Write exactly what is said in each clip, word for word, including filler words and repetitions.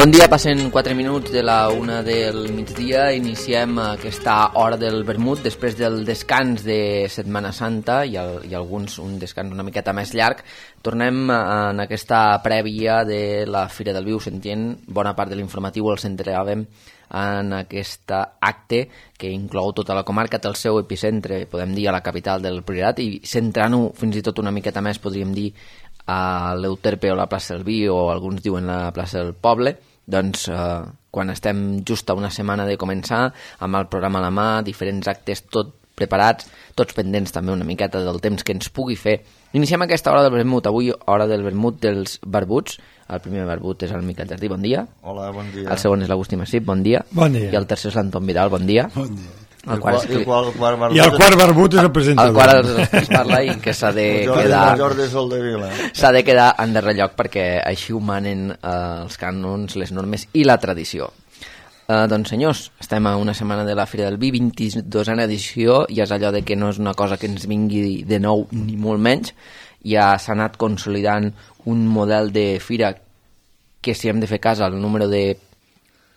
Bon dia, passen quatre minuts de la una del migdia. Iniciem aquesta hora del vermut després del descans de Setmana Santa i, el, i alguns un descans una miqueta més llarg. Tornem en aquesta prèvia de la Fira del Vi. Us sentient, bona part de l'informatiu el centràvem en aquest acte que inclou tota la comarca, té el seu epicentre, podem dir, a la capital del Priorat, i centrant-ho fins i tot una miqueta més, podríem dir, a l'Euterpe o la plaça del Vi, o alguns diuen la plaça del Poble. Doncs eh, quan estem just a una setmana de començar, amb el programa a la mà, diferents actes tot preparats, tots pendents també una miqueta del temps que ens pugui fer. Iniciem aquesta hora del vermut, avui hora del vermut dels barbuts. El primer barbut és el Miquel Jardí, bon dia. Hola, bon dia. El segon és l'Agustí Massip, bon dia. Bon dia. I el tercer és l'Anton Vidal, bon dia. Bon dia. El quart, I el quart, el quart barbut, I el quart barbut és el presentador. El quart és el que es parla i que s'ha de Jordi, quedar... Jordi Soldevila. S'ha de quedar en darrer lloc perquè així ho manen eh, els cànons, les normes i la tradició. Eh, doncs senyors, estem a una setmana de la Fira del Vi, vint-i-dosena edició, i és allò de que no és una cosa que ens vingui de nou ni molt menys. Ja s'ha anat consolidant un model de fira que, si hem de fer cas al número de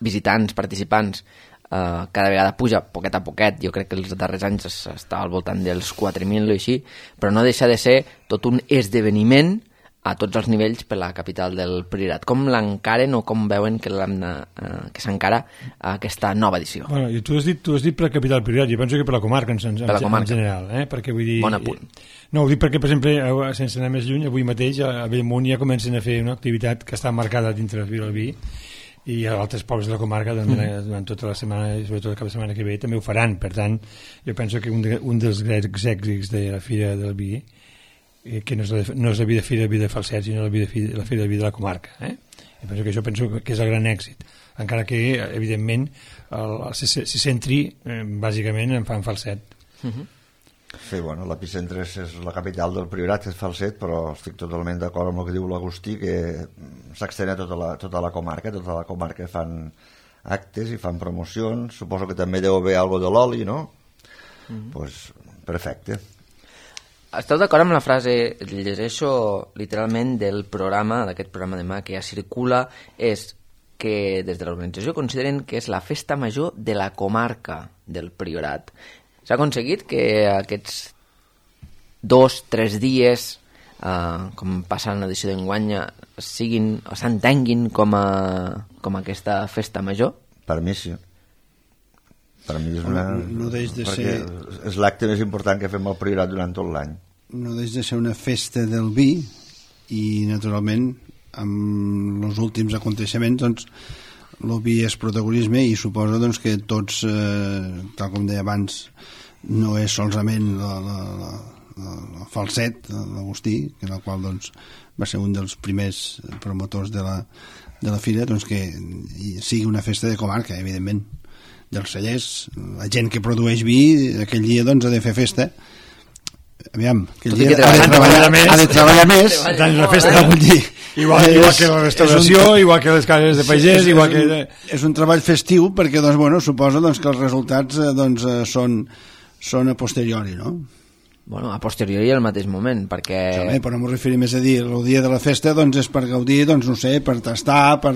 visitants, participants, Uh, cada vegada puja poquet a poquet. Jo crec que els darrers anys està al voltant dels quatre mil o així, però no deixa de ser tot un esdeveniment a tots els nivells per la capital del Priorat. Com l'encaren o com veuen que, uh, que s'encara a aquesta nova edició? Bueno, i tu has dit, tu has dit per la capital del Priorat, jo penso que per la comarca en, en, per la comarca. en general, eh? Perquè vull dir... Bon apunt. No, ho dic perquè, per exemple, sense anar més lluny, avui mateix a Bellmunt ja comencen a fer una activitat que està marcada dintre la Fira del Vi, i a altres pobles de la comarca durant, mm. durant tota la setmana i sobretot el cap de setmana que ve també ho faran. Per tant, jo penso que un, de, un dels grans èxits de la Fira del Vi, eh, que no és, la, no és la vida Fira del Vi de Falset, sinó la, vida, la Fira del Vi de la comarca, eh? Jo penso que això penso que és el gran èxit, encara que evidentment el, el, se, se centri eh, bàsicament en fan Falset. Mm-hmm. Sí, bueno, l'epicentre és, és la capital del Priorat, és Falset, però estic totalment d'acord amb el que diu l'Agustí, que s'extén a tota la, tota la comarca, tota la comarca fan actes i fan promocions, suposo que també deu haver algo de l'oli, no? Mm-hmm. Pues, perfecte. Esteu d'acord amb la frase, llegeixo literalment del programa, d'aquest programa demà que ja circula, és que des de l'organització consideren que és la festa major de la comarca del Priorat. S'ha aconseguit que aquests dos, tres dies, eh, com passa en l'edició d'enguany, siguin o s'entenguin com, a, com a aquesta festa major? Per mi sí. Per mi és una... No, no deix de perquè ser... és l'acte més important que fem al Priorat durant tot l'any. No deix de ser una festa del vi i, naturalment, amb els últims aconteixements, doncs, el vi és protagonisme i suposo doncs, que tots, eh, tal com deia abans, no és solament la, la, la, la Falset, l'Agustí, que en el qual doncs, va ser un dels primers promotors de la, de la fira, doncs, que sigui una festa de comarca, evidentment, dels cellers. La gent que produeix vi aquell dia doncs, ha de fer festa. Aviam, aquell dia ha de treballar més, ha de treballar més, tant la festa vull dir. Igual, igual que la restauració, un, igual que les cases de pagès, és, igual que... És un, és un treball festiu perquè, doncs, bueno, suposo doncs, que els resultats doncs, són, són a posteriori, no? Bueno, a posteriori al mateix moment, perquè... Sí, però no m'ho referim més a dir, el dia de la festa doncs, és per gaudir, doncs, no sé, per tastar, per,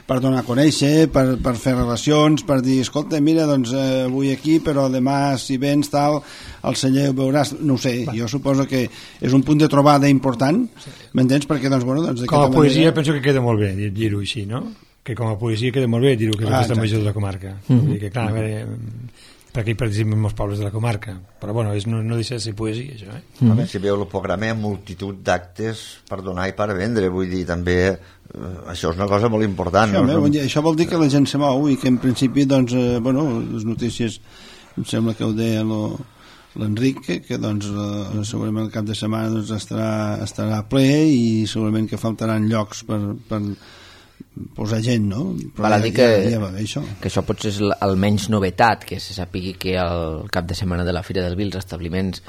per donar a conèixer, per, per fer relacions, per dir, escolta, mira, doncs, eh, avui aquí, però demà, si vens, tal, al celler ho veuràs, no ho sé, va. Jo suposo que és un punt de trobada important, sí. M'entens? Perquè, doncs, bueno... Doncs, com a poesia manera... penso que queda molt bé dir-ho així, no? Que com a poesia queda molt bé dir-ho, que és ah, la festa major de la comarca. Mm-hmm. Que, clar, mm-hmm. perquè hi participen molts pobles de la comarca, però bueno, és, no, no deixa de ser poesia això, eh? Mm. A veure, si veu el programa hi ha multitud d'actes per donar i per vendre, vull dir, també eh, això és una cosa molt important, això, no? Bon dia. Això vol dir que la gent se mou i que en principi, doncs, eh, bueno, les notícies em sembla que ho deia lo, l'Enric, que, que doncs eh, segurament el cap de setmana doncs, estarà, estarà ple i segurament que faltaran llocs per, per posar gent, no? Però val a dir que, ja, ja va bé, això. que això potser és el menys novetat, que se sàpigui que al cap de setmana de la Fira del Vi els establiments,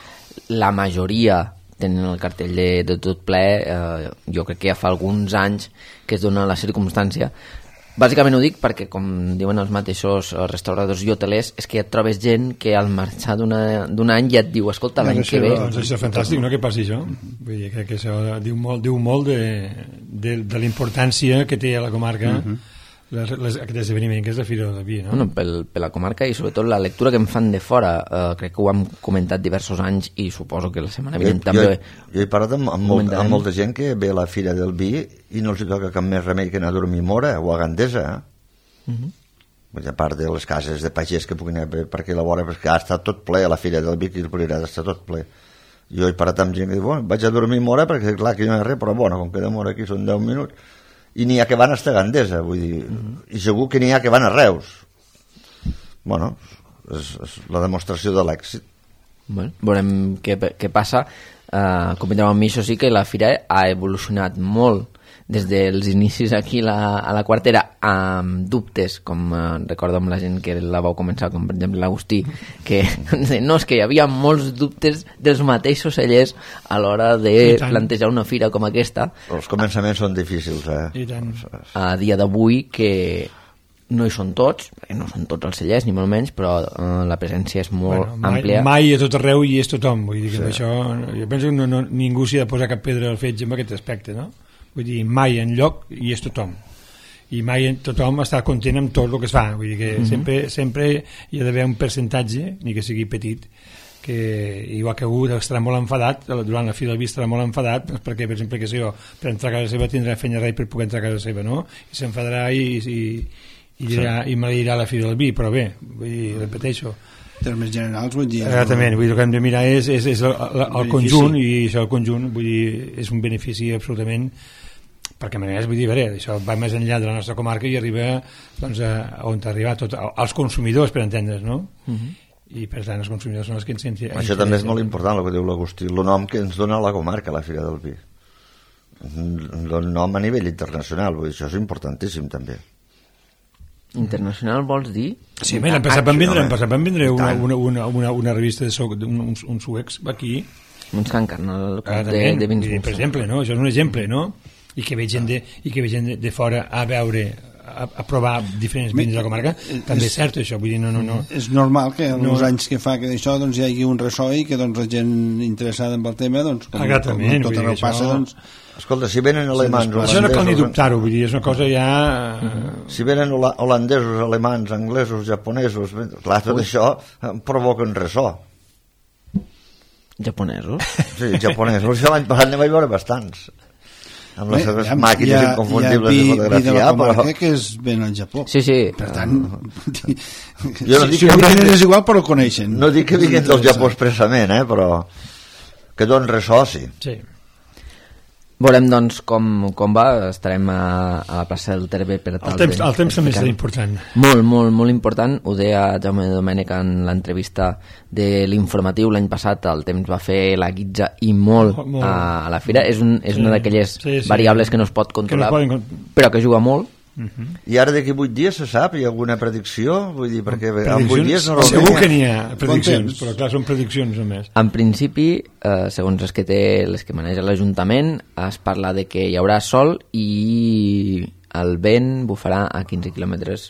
la majoria tenen el cartell de, de tot ple. Eh, jo crec que ja fa alguns anys que es dona la circumstància. Bàsicament ho dic perquè, com diuen els mateixos restauradors i hotelers, és que ja et trobes gent que al marxar d'un any ja et diu, escolta, l'any que ve... Doncs això és fantàstic, no?, que passi això. Vull dir, crec que això diu molt, diu molt de, de, de la importància que té a la comarca uh-huh. les, les, aquest esdeveniment que és la Fira del Vi, no? Bueno, pel, per la comarca i sobretot la lectura que em fan de fora, eh, crec que ho hem comentat diversos anys i suposo que la setmana vinent també... Jo, jo he parlat amb, amb, molt, amb molta gent que ve a la Fira del Vi i no els toca cap més remei que anar a dormir Mora o a Gandesa, eh? Uh-huh. A part de les cases de pagès que puguin haver per aquí a la vora, perquè ha estat tot ple a la Fira del Vi, que el Priorat està tot ple. Jo he parat amb gent que diu, bueno, vaig a dormir Mora perquè clar que no hi ha res, però bueno, com que de Mora aquí són deu minuts, i n'hi ha que van a Gandesa, vull dir, mm-hmm. i segur que n'hi ha que van a Reus. Bueno, és, és la demostració de l'èxit. Bueno, veurem què, què passa. Uh, Convindrem amb mi, això sí, que la Fira ha evolucionat molt des dels inicis aquí la, a la Quartera, amb dubtes, com eh, recordo amb la gent que la vau començar, com per exemple l'Agustí, que no, és que hi havia molts dubtes dels mateixos cellers a l'hora de plantejar una fira com aquesta. Els començaments són difícils, eh? I tant. A dia d'avui, que no hi són tots, perquè no són tots els cellers, ni molt menys, però eh, la presència és molt bueno, mai, àmplia. Mai a tot arreu hi és tothom, vull dir que sí. Això, jo penso que no, no, ningú s'hi ha de posar cap pedra al fetge en aquest aspecte, no? Vull dir, mai en lloc hi és tothom i mai en tothom està content amb tot el que es fa, vull dir que mm-hmm. sempre, sempre hi ha d'haver un percentatge, ni que sigui petit, que igual que algú estarà molt enfadat durant la Fira del Vi estarà molt enfadat perquè per exemple que sé jo, per entrar a casa seva tindrà feina rei per poder entrar a casa seva, no? I s'enfadarà i, i, i, dirà, sí. i maleirà la Fira del Vi, però bé, vull dir, repeteixo, termes generals, vull dir... Exactament, vull dir, el que hem de mirar és, és, és el, el, el conjunt, i això el conjunt, vull dir, és un benefici absolutament, perquè a manera, vull dir, veure, això va més enllà de la nostra comarca i arriba, doncs, a, on arriba tot, als consumidors, per entendre's, no? Uh-huh. I per tant, els consumidors són els que ens sentim... Això també és molt important, el que diu l'Agustí, el nom que ens dona la comarca, la Fira del Vi. El nom a nivell internacional, vull dir, això és importantíssim, també. Internacional vols dir? Sí, bé, l'hem passat van vindre, no, van vindre una, una, una, una, una revista de so, un, uns suecs aquí. Uns que encarnen el ah, de, de vins. Per exemple, no? Això és un exemple, no? I que ve gent de, i que ve gent de, de fora a veure, a, a provar diferents vins de la comarca, també és cert això, vull dir, no, no, no. És normal que en no. els anys que fa que d'això doncs, hi hagi un ressò i que doncs, la gent interessada en el tema, doncs, com, com tot arreu passa, això... doncs... Escolta, si venen alemans... Sí, això no cal ni dubtar-ho, vull dir, és una cosa ja... Si venen holandesos, alemans, anglesos, japonesos, clar, tot Ui. això provoca un ressò. Japonesos? Sí, japonesos. L'any passat ne vaig veure bastants. Amb les seves màquines ha, inconfundibles de fotografiar. Hi ha vi de la comarca però... que és ben al Japó. Sí, sí. Per tant, jo no si, si no venen és igual, però coneixen. No dic que vinguin del Japó expressament, eh, però que donen ressò, sí. Sí. Veurem, doncs, com, com va. Estarem a, a la plaça del Terbe per tal el temps, de... El temps també és important. Molt, molt, molt important. Ho deia Jaume Domènech en l'entrevista de l'informatiu l'any passat. El temps va fer la guitza i molt, molt. A, a la fira. És, un, és sí. una d'aquelles sí, sí. variables que no es pot controlar, que no poden... però que juga molt. Uh-huh. I ara d'aquí vuit dies se sap? Hi ha alguna predicció? Vull dir, perquè en vuit dies no segur que n'hi ha prediccions, però clar, són prediccions només. En principi, eh, segons les que té, les que maneja l'Ajuntament, es parla de que hi haurà sol i el vent bufarà a quinze quilòmetres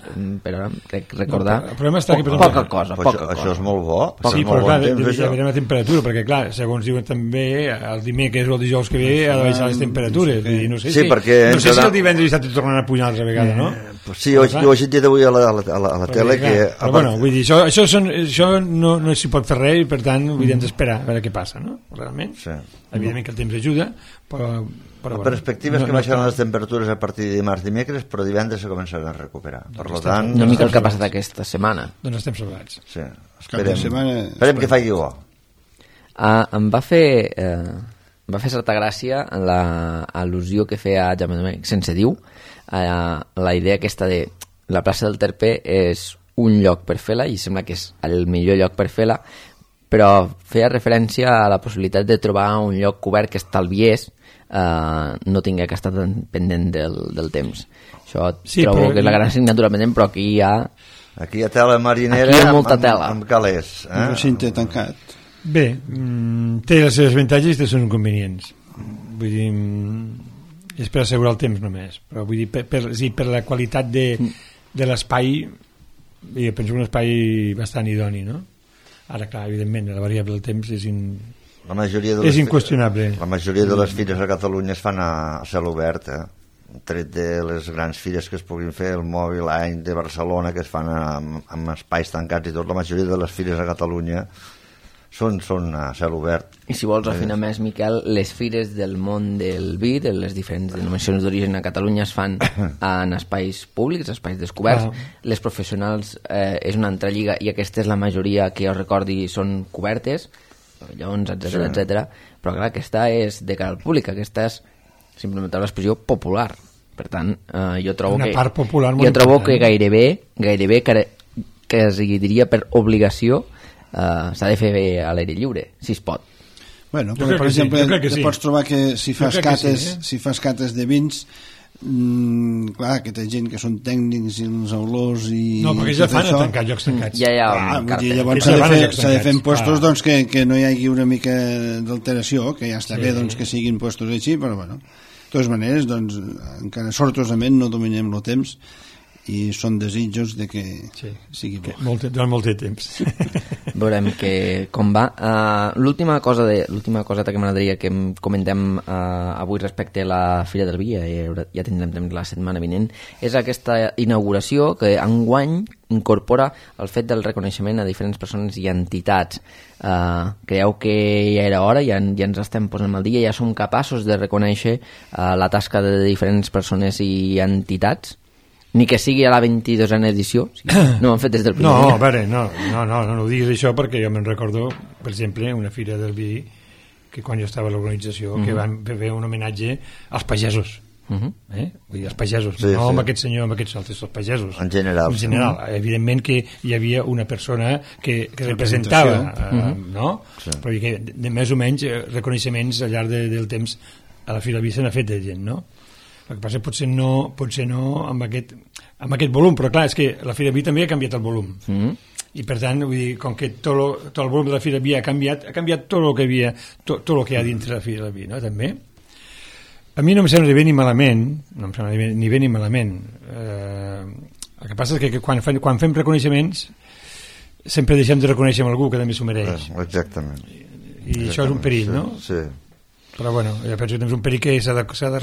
per hora, crec recordar. No, el problema està que, per poca cosa, poca poca això, cosa. Això és molt bo. Sí, molt però clar, bon temps, ja veurem la temperatura, perquè clar, segons diuen també, el dimecres o el dijous que ve ha de baixar les temperatures. Sí, no sé, sí, si, perquè no sé si el divendres i dissabte tornaran a pujar una altra vegada, no? Eh, sí, ho, ho he sentit avui a la, a la, a la, a la tele clar, que... Però bueno, vull dir, això, això, són, això no, no s'hi pot fer res i per tant mm. hem d'esperar a veure què passa, no? Realment. Sí. Evidentment que el temps ajuda, però... Però, la perspectiva és no, que baixaran no, les temperatures a partir de dimarts dimecres, però divendres se començaran a recuperar. Per doncs tant, una mica el que ha passat aquesta setmana. Doncs estem salvats. Sí, esperem, setmana, esperem que faci bo. Ah, em va fer eh, em va fer certa gràcia la al·lusió que feia Jaume Domènech, sense diu, eh, la idea aquesta de la plaça del Terpe és un lloc per fer-la i sembla que és el millor lloc per fer-la, però feia referència a la possibilitat de trobar un lloc cobert que estalviés Uh, no tingué que estar tan pendent del, del temps. Això sí, trobo però... que és la gran assignatura pendent, però aquí hi ha aquí hi ha tela marinera, aquí hi ha molta amb, tela. amb calés, eh? Un recinte tancat. Bé, mm, té els seus avantatges i té els seus inconvenients. Vull dir, mm, és per assegurar el temps només, però vull dir, per, per, sí, per la qualitat de, de l'espai, jo penso un espai bastant idoni, no? Ara, clar, evidentment, la variable del temps és in... La majoria de les, és inqüestionable. La majoria de les fires a Catalunya es fan a cel obert, eh? tret de les grans fires que es puguin fer, el Mòbil Any de Barcelona, que es fan amb, amb espais tancats i tot, la majoria de les fires a Catalunya són, són a cel obert. I si vols afinar més, Miquel, les fires del món del vi, de les diferents denominacions d'origen a Catalunya, es fan en espais públics, espais descoberts. Ah. Les professionals eh, és una altra lliga i aquesta és la majoria que jo recordi són cobertes, pavellons, etcètera, sí. etcètera. Però clar, aquesta és de cara al públic, aquesta és simplement l'expressió popular. Per tant, eh, jo trobo una que part popular jo trobo que gairebé, gairebé que, que es diria per obligació Uh, s'ha de fer bé a l'aire lliure, si es pot. Bueno, però, per exemple, sí, sí. pots trobar que si fas cates, sí, eh? si fas cates de vins, mm, clar, que té gent que són tècnics i els olors i... No, perquè ja fan això, a tancar llocs tancats. Ja hi ha ah, un dir, llavors s'ha de, fer, s'ha de fer en puestos ah. doncs, que, que no hi hagi una mica d'alteració, que ja està sí. bé doncs, que siguin puestos així, però bueno, de totes maneres, doncs, encara sortosament no dominem el temps i són desitjos de que sí, sigui bo. Molt, durant molt de temps. Veurem que, com va. Uh, l'última cosa de, l'última coseta que m'agradaria que comentem uh, avui respecte a la Fira del Vi, ja, ja tindrem temps la setmana vinent, és aquesta inauguració que enguany incorpora el fet del reconeixement a diferents persones i entitats. Uh, creieu que ja era hora, ja, ja ens estem posant al dia, ja som capaços de reconèixer uh, la tasca de diferents persones i entitats? Ni que sigui a la vint-i-dosena edició, no ho han fet des del primer no, dia. A veure, no, no, no, no, no ho diguis això perquè jo me'n recordo, per exemple, una fira del vi que quan jo estava a l'organització, uh-huh. que van fer un homenatge als pagesos. Uh-huh. Eh? Vull dir, els pagesos, sí, no sí. amb aquest senyor, amb aquests altres, els pagesos. En general. En general. Uh-huh. Evidentment que hi havia una persona que, que representava, uh-huh. eh, no? Sí. Però que de, de més o menys reconeixements al llarg de, del temps a la fira del vi se n'ha fet de gent, no? El que passa potser no, potser no amb, aquest, amb aquest volum, però clar, és que la Fira Vi també ha canviat el volum. Mm-hmm. I per tant, vull dir, com que tot, lo, tot el volum de la Fira Vi ha canviat, ha canviat tot el que havia, tot, tot el que hi ha dintre la Fira Vi, no? També. A mi no em sembla ni bé ni malament, no em sembla ni bé ni, bé, ni malament. Eh, el que passa és que, que quan, fem, quan fem reconeixements sempre deixem de reconèixer algú que també s'ho mereix. Eh, exactament. I, i exactament, això és un perill, sí, no? Sí. Però bueno, jo penso que tens un perill que s'ha de, s'ha de,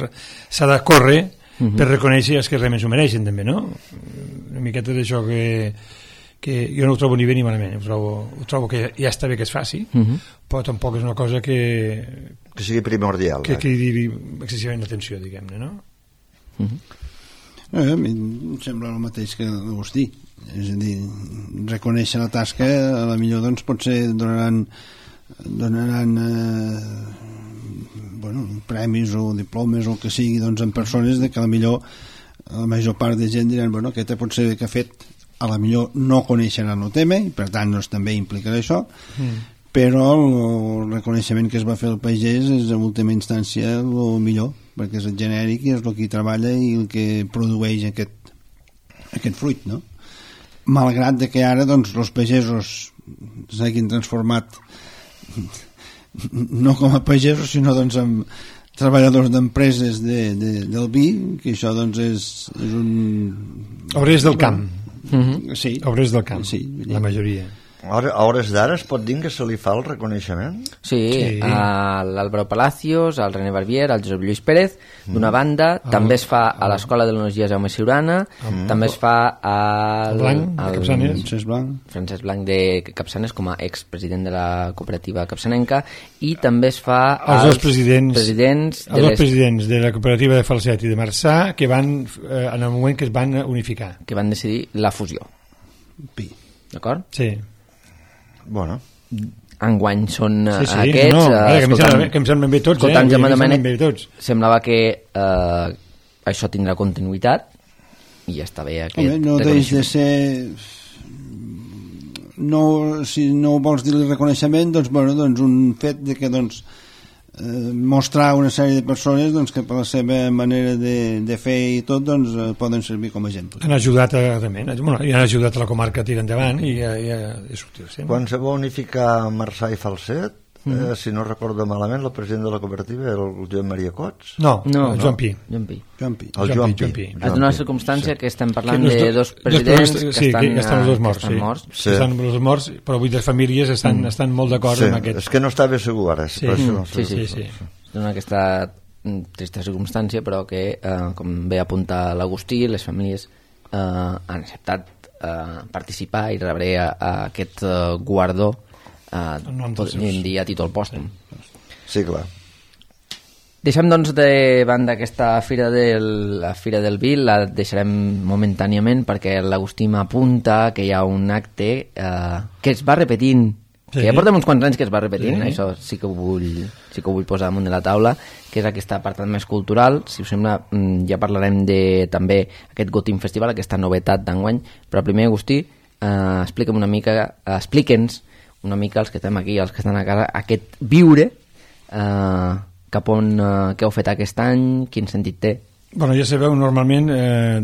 s'ha de córrer uh-huh. per reconèixer els que realment s'ho mereixen també, no? Una miqueta d'això que, que jo no ho trobo ni bé ni malament, ho trobo, ho trobo que ja està bé que es faci, uh-huh. però tampoc és una cosa que que sigui primordial que eh? cridi excessivament l'atenció, diguem-ne, no? Uh-huh. No, a mi em sembla el mateix que Agustí, és a dir, reconèixer la tasca a la millor doncs potser donaran donaran eh, bueno, premis o diplomes o el que sigui doncs, en persones de que a la millor la major part de gent diran bueno, aquest pot ser que ha fet a la millor no coneixeran el tema i per tant doncs, també implicarà això mm. però el reconeixement que es va fer al pagès és en última instància el millor perquè és el genèric i és el que hi treballa i el que produeix aquest, aquest fruit, no? Malgrat de que ara doncs, els pagesos s'hagin transformat no com a pagesos sinó doncs amb treballadors d'empreses de, de, del vi que això doncs és, és un... Obrers del camp. Mm-hmm. Sí. Obrers del camp, sí, la majoria. A hores d'ara es pot dir que se li fa el reconeixement? Sí, sí. A l'Álvaro Palacios, al René Barbier, al Josep Lluís Pérez, d'una banda, mm. també es fa a l'Escola de l'Energia Jaume Ciurana, mm. també es fa al... Blanc, al, Capçanes. Francesc Blanc. Francesc Blanc de Capçanes, com a expresident de la cooperativa capçanenca, i també es fa als, als dos presidents, presidents, els dos les... presidents de la cooperativa de Falset i de Marçà, que van, eh, en el moment que es van unificar. Que van decidir la fusió. Pi. D'acord? Sí. Bueno. Enguany són sí, sí, aquests no, no, eh, que, escoltant, que em semblen bé tots eh? Domènec, tots. Semblava que eh, això tindrà continuïtat i ja està bé aquest Home, no deix de ser no, si no vols dir-li reconeixement doncs, bueno, doncs un fet de que doncs Eh, mostrar una sèrie de persones doncs, que per la seva manera de, de fer i tot doncs, eh, poden servir com a exemple. Han ajudat a, també, bueno, han ajudat a la comarca a tirar endavant i a, i a, a sortir-se. Quan se va unificar Marçà i Falset, mm-hmm. eh, si no recordo malament, el president de la cooperativa era el Joan Maria Cots? No, no, el Joan Pi. Joan Pi. Joan Pi. El Joan Pi. Pi. És una circumstància sí. que estem parlant que de dos presidents dos, que, sí, estan, que estan els dos morts. Que estan sí. morts. Sí. Estan els morts, però vull dir, les famílies estan, mm. estan molt d'acord sí. amb aquest. És que no estava segur ara. Sí, per mm. això, sí, sí, sí. sí. Dona aquesta trista circumstància, però que, eh, com bé apunta l'Agustí, les famílies eh, han acceptat eh, participar i rebre a, a aquest eh, guardó eh, podríem dir a títol pòstum. Sí, clar. Deixem, doncs, de banda aquesta fira del, la Fira del Vi, la deixarem momentàniament perquè l'Agustí m'apunta que hi ha un acte eh, que es va repetint, sí. que ja portem uns quants anys que es va repetint, sí. Això sí que ho vull, sí que ho vull posar damunt de la taula, que és aquest apartat més cultural. Si us sembla, ja parlarem de també aquest Gotim Festival, aquesta novetat d'enguany, però primer, Agustí, eh, explica'm una mica, eh, explica'ns una mica els que estem aquí, els que estan a casa, aquest viure eh, cap on, eh, què heu fet aquest any, quin sentit té? Bueno, ja sabeu, normalment eh,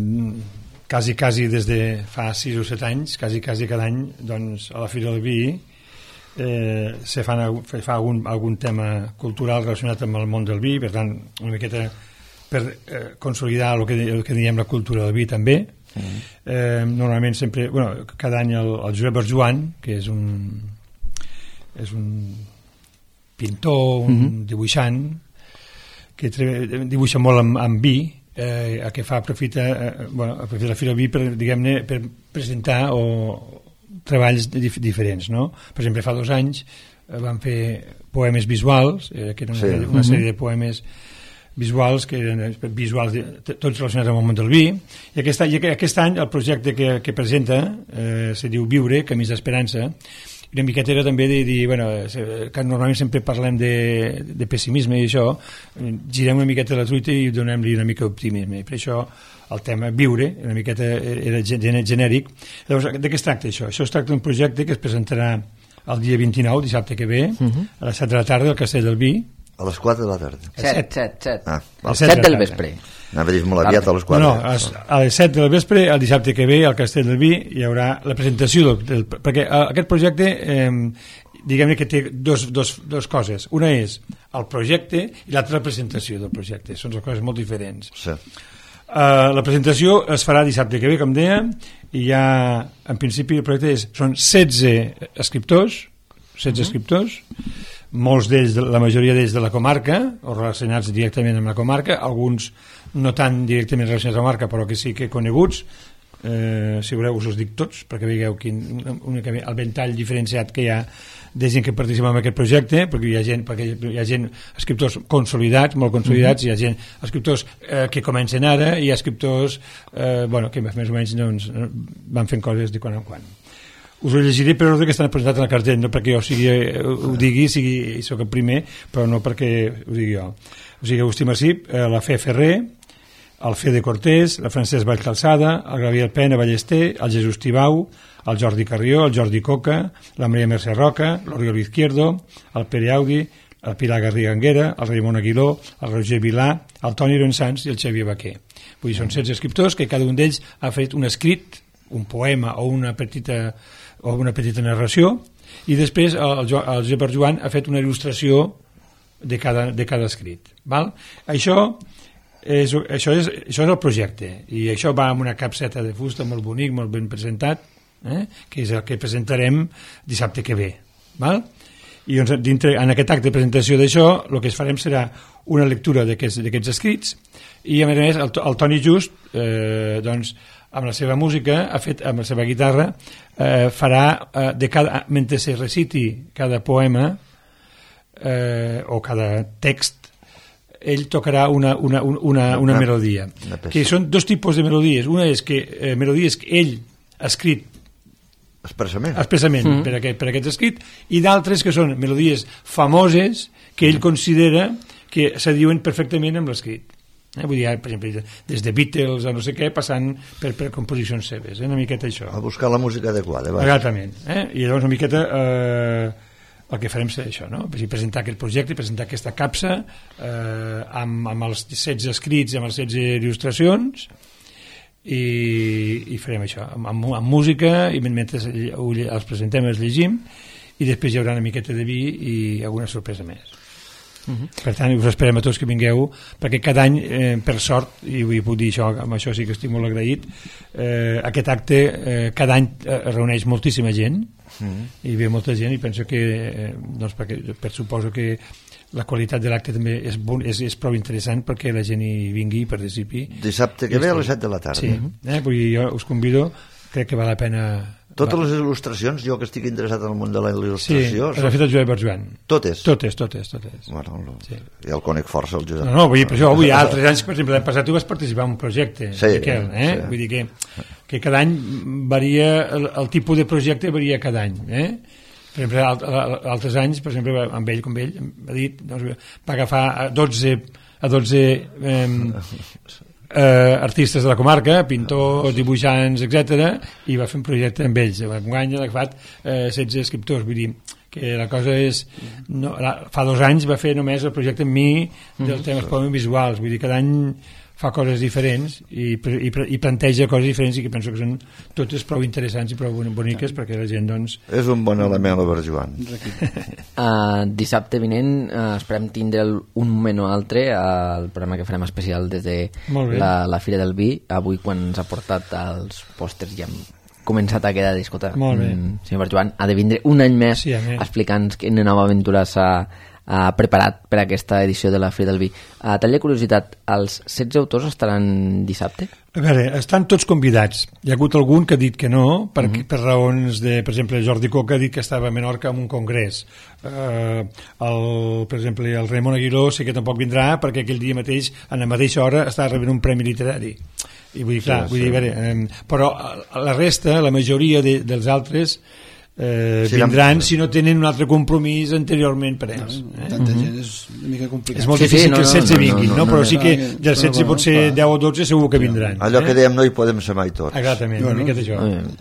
quasi, quasi des de fa sis o set anys, quasi, quasi cada any, doncs, a la Fira del Vi eh, se fan, fa algun, algun tema cultural relacionat amb el món del vi, per tant, una miqueta per eh, consolidar el que, el que diem la cultura del vi també. Mm. Eh, normalment sempre, bueno, cada any el, el Josep Berjoan, que és un és un pintor, un mm-hmm. dibuixant, que dibuixa molt amb, amb vi, eh, a que fa aprofita, eh, bueno, aprofita la Fira del Vi per, diguem-ne, per presentar o treballs dif diferents, no? Per exemple, fa dos anys eh, van fer poemes visuals, eh, que eren sí. una, una sèrie de poemes visuals, que eren visuals de, tots relacionats amb el món del vi, i aquest, i aquest any el projecte que, que presenta eh, se diu Viure, Camins d'Esperança. Una miqueta era també de dir, bueno, que normalment sempre parlem de, de pessimisme i això, girem una miqueta la truita i donem-li una mica d'optimisme, i per això el tema Viure, una miqueta era genèric. Llavors, de què es tracta això? Això es tracta d'un projecte que es presentarà el dia vint-i-nou, dissabte que ve, uh-huh. a les set de la tarda al Castell del Vi. A les quatre de la tarda. set, set, set. Ah, a les set del vespre. Anava a dir molt aviat a les quatre. No, no, a les set del vespre, el dissabte que ve, al Castell del Vi, hi haurà la presentació del... del perquè aquest projecte, eh, diguem-ne que té dos, dos, dos coses. Una és el projecte i l'altra la presentació del projecte. Són dues coses molt diferents. Sí. Uh, la presentació es farà dissabte que ve, com deia, i ja, en principi, el projecte és, són setze escriptors, setze uh-huh. escriptors, molts d'ells, la majoria d'ells de la comarca, o relacionats directament amb la comarca, alguns no tan directament relacionats amb la comarca, però que sí que coneguts. Eh, si voleu us els dic tots, perquè veieu quin, únicament el ventall diferenciat que hi ha de gent que participa en aquest projecte, perquè hi ha gent, perquè hi ha gent escriptors consolidats, molt consolidats, mm-hmm. hi ha gent, escriptors eh, que comencen ara, i hi ha escriptors eh, bueno, que més o menys doncs, van fent coses de quan en quan. Us ho llegiré per ordre que estan presentats en el cartell, no perquè jo sigui, ho digui, sigui, soc el primer, però no perquè ho digui jo. O sigui, Agustí Massip, eh, la Fe Ferrer, el Fede Cortés, la Francesc Vallcalçada, el Gabriel Pena Ballester, el Jesús Tibau, el Jordi Carrió, el Jordi Coca, la Maria Mercè Roca, l'Oriol Izquierdo, el Pere Audi, el Pilar Garriga Anguera, el Raimon Aguiló, el Roger Vilà, el Toni Ronsans i el Xavier Baquer. Vull dir, són setze escriptors que cada un d'ells ha fet un escrit, un poema o una petita o una petita narració, i després el, el Josep Berjoan ha fet una il·lustració de cada, de cada escrit. Val? Això, és, això, és, això és el projecte, i això va amb una capseta de fusta molt bonic, molt ben presentat, eh? que és el que presentarem dissabte que ve. Val? I doncs, dintre, en aquest acte de presentació d'això, el que es farem serà una lectura d'aquests escrits, i a més a més el, el Toni Just eh, doncs, amb la seva música, ha fet, amb la seva guitarra, eh, farà, eh, de cada, mentre se reciti cada poema eh, o cada text, ell tocarà una, una, una, una, una melodia. Una que són dos tipus de melodies. Una és que eh, melodies que ell ha escrit expressament, expressament mm. per, aquest, per aquest escrit, i d'altres que són melodies famoses que ell considera que s'adiuen perfectament amb l'escrit. Eh, vull dir, per exemple, des de Beatles a no sé què, passant per, per composicions seves, eh, una miqueta això. A buscar la música adequada. Va. Exactament. Eh? I llavors una miqueta eh, el que farem serà això, no? Presentar aquest projecte, presentar aquesta capsa eh, amb, amb els setze escrits, amb les setze il·lustracions, i, i farem això, amb, amb, amb música, i mentre els presentem els llegim, i després hi haurà una miqueta de vi i alguna sorpresa més. Uh-huh. Per tant, us esperem a tots que vingueu, perquè cada any, eh, per sort, i vull puc dir això, amb això sí que estic molt agraït, eh, aquest acte eh, cada any eh, reuneix moltíssima gent, uh-huh. i ve molta gent, i penso que eh, doncs perquè, per suposo que la qualitat de l'acte també és, bon, és, és prou interessant perquè la gent hi vingui i participi. Dissabte que ve a les set de la tarda. Sí, eh? Vull dir, jo us convido, crec que val la pena... Totes les il·lustracions, jo que estic interessat en el món de la il·lustració... Sí, l'ha fet el Josep Berjoan. Totes? Totes, totes, totes. Bueno, lo, sí. Ja el conec força, el Josep. No, no, vull dir, per això, vull dir, altres anys, per exemple, l'any passat tu vas participar en un projecte, sí, Miquel, eh? Sí. Vull dir que, que cada any varia, el, el tipus de projecte varia cada any, eh? Per exemple, alt, altres anys, per exemple, amb ell, com ell, ha dit, doncs, va agafar a dotze, a dotze eh, eh, artistes de la comarca, pintors, dibuixants, etcètera, i va fer un projecte amb ells. Enguany ha agafat eh, setze escriptors, vull dir que la cosa és... No, la, fa dos anys va fer només el projecte amb mi del mm. tema poemes visuals, vull dir, cada any fa coses diferents i, i, i planteja coses diferents i que penso que són totes prou interessants i prou boniques perquè la gent, doncs... És un bon element, l'Obert Joan. Uh, dissabte vinent uh, esperem tindre un moment o altre al uh, programa que farem especial des de la, la Fira del Vi. Avui, quan ens ha portat els pòsters, ja hem començat a quedar a discotar. Molt bé. Mm, senyor Obert Joan ha de vindre un any més sí, explicant quina nova aventura s'ha Uh, preparat per a aquesta edició de la Fira del Vi. Uh, tall de curiositat, els setze autors estaran dissabte? A veure, estan tots convidats. Hi ha hagut algun que ha dit que no, per, uh-huh. per raons de... Per exemple, Jordi Coca ha dit que estava a Menorca en un congrés. Uh, el, per exemple, el Ramon Aguiló sé que tampoc vindrà perquè aquell dia mateix, a la mateixa hora, estava rebent un premi literari. I vull dir, clar, sí, vull dir, a veure, um, però la resta, la majoria de, dels altres... Eh, sí, vindran si no tenen un altre compromís anteriorment per ells. No, eh? Tanta gent és una mica complicat. És molt sí, difícil sí, no, que els setze no, no, vinguin, no, no, no, però no, sí que no, dels setze pot ser deu o dotze segur que vindran. Allò eh? que dèiem no hi podem ser mai tots. Exactament, bueno, una miqueta això.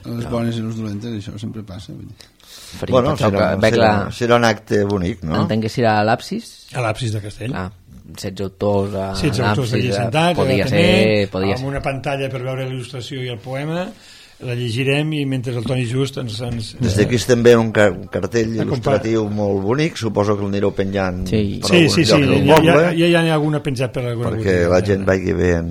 Les bones i les dolentes, això sempre passa. Vull dir. Faria, Bueno, serà, serà, serà, serà un acte bonic, no? Entenc que serà a l'Apsis. A l'Apsis de Castell. Ah, setze autors a setze autors allà sentats, podria ser, podria amb ser. una pantalla per veure la il·lustració i el poema, la llegirem i mentre el Toni Just ens... ens Des d'aquí estem veient un, car un cartell il·lustratiu molt bonic, suposo que el anireu penjant sí. per sí, algun sí, lloc sí, del ja, poble, ja, ja hi ha alguna penjat per alguna perquè botiga, la gent vagi veient.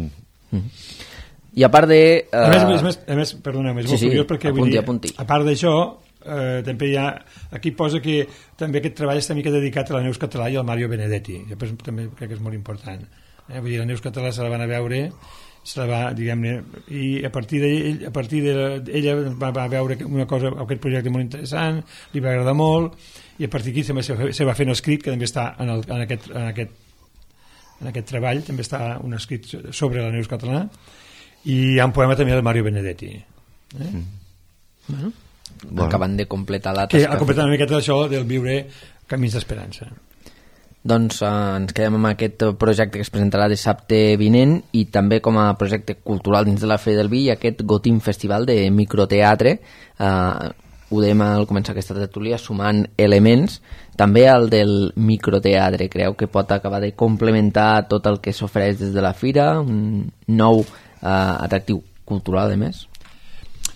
I a part de... Uh... A més, a més, a més, perdona, és sí, molt sí, curiós perquè apunti, vull dir, apunti. a part d'això, eh, també hi ha, aquí posa que també aquest treball està mica dedicat a la Neus Català i al Mario Benedetti, que també crec que és molt important. Eh? Vull dir, la Neus Català se la van a veure, se la va, diguem-ne, i a partir d'ell, a partir d'ella va, va veure una cosa, aquest projecte molt interessant, li va agradar molt, i a partir d'aquí també se, se va fent un escrit que també està en, el, en, aquest, en, aquest, en aquest treball, també està un escrit sobre la Neus Català, i hi ha un poema també del Mario Benedetti. Eh? Mm. Bueno, bueno. Acabant de completar la tasca. Que ha completat una miqueta d'això del viure Camins d'Esperança. Doncs eh, ens quedem amb aquest projecte que es presentarà dissabte vinent i també com a projecte cultural dins de la Fira del Vi i aquest Gotim Festival de microteatre. Eh, ho dèiem al començar aquesta tertúlia, sumant elements, també el del microteatre. Creu que pot acabar de complementar tot el que s'ofereix des de la Fira, un nou eh, atractiu cultural, a més?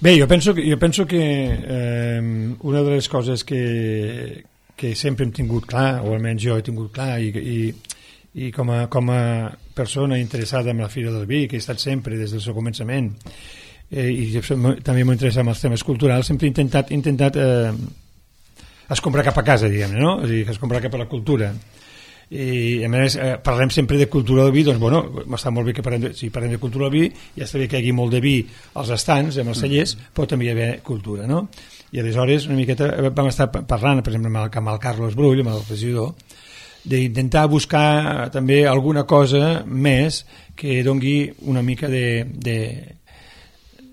Bé, jo penso que, jo penso que eh, una de les coses que que sempre hem tingut clar, o almenys jo he tingut clar, i, i, i com, a, com a persona interessada en la Fira del Vi, que he estat sempre des del seu començament, eh, i també m'ho interessa en els temes culturals, sempre he intentat, intentat eh, escombrar cap a casa, diguem-ne, no? És a dir, escombrar cap a la cultura. I a més eh, parlem sempre de cultura del vi, doncs bueno, està molt bé que parlem de, si parlem de cultura del vi, ja està bé que hi hagi molt de vi als estants, amb els cellers, però també hi ha cultura, no? I aleshores una miqueta vam estar parlant, per exemple, amb el, amb el Carlos Brull, amb el regidor, d'intentar buscar també alguna cosa més que dongui una mica de, de,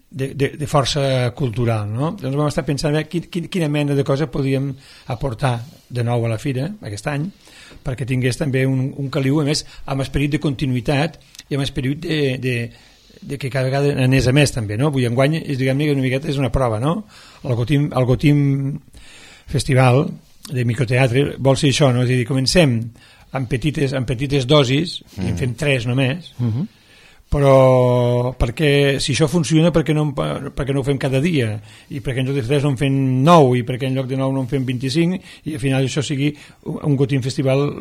de, de, de força cultural, no? Doncs vam estar pensant eh, quin, quina mena de cosa podíem aportar de nou a la Fira aquest any, perquè tingués també un, un caliu, a més, amb esperit de continuïtat i amb esperit de, de, de que cada vegada anés a més també, no? Vull enguany, diguem-ne que una miqueta és una prova, no? El Gotim, el Gotim Festival de microteatre vol ser això, no? És a dir, comencem amb petites, amb petites dosis, mm. i en fem tres només, mm -hmm. però perquè si això funciona, perquè no, perquè no ho fem cada dia, i perquè en lloc de tres no en fem nou, i perquè en lloc de nou no en fem vint-i-cinc, i al final això sigui un Gotim Festival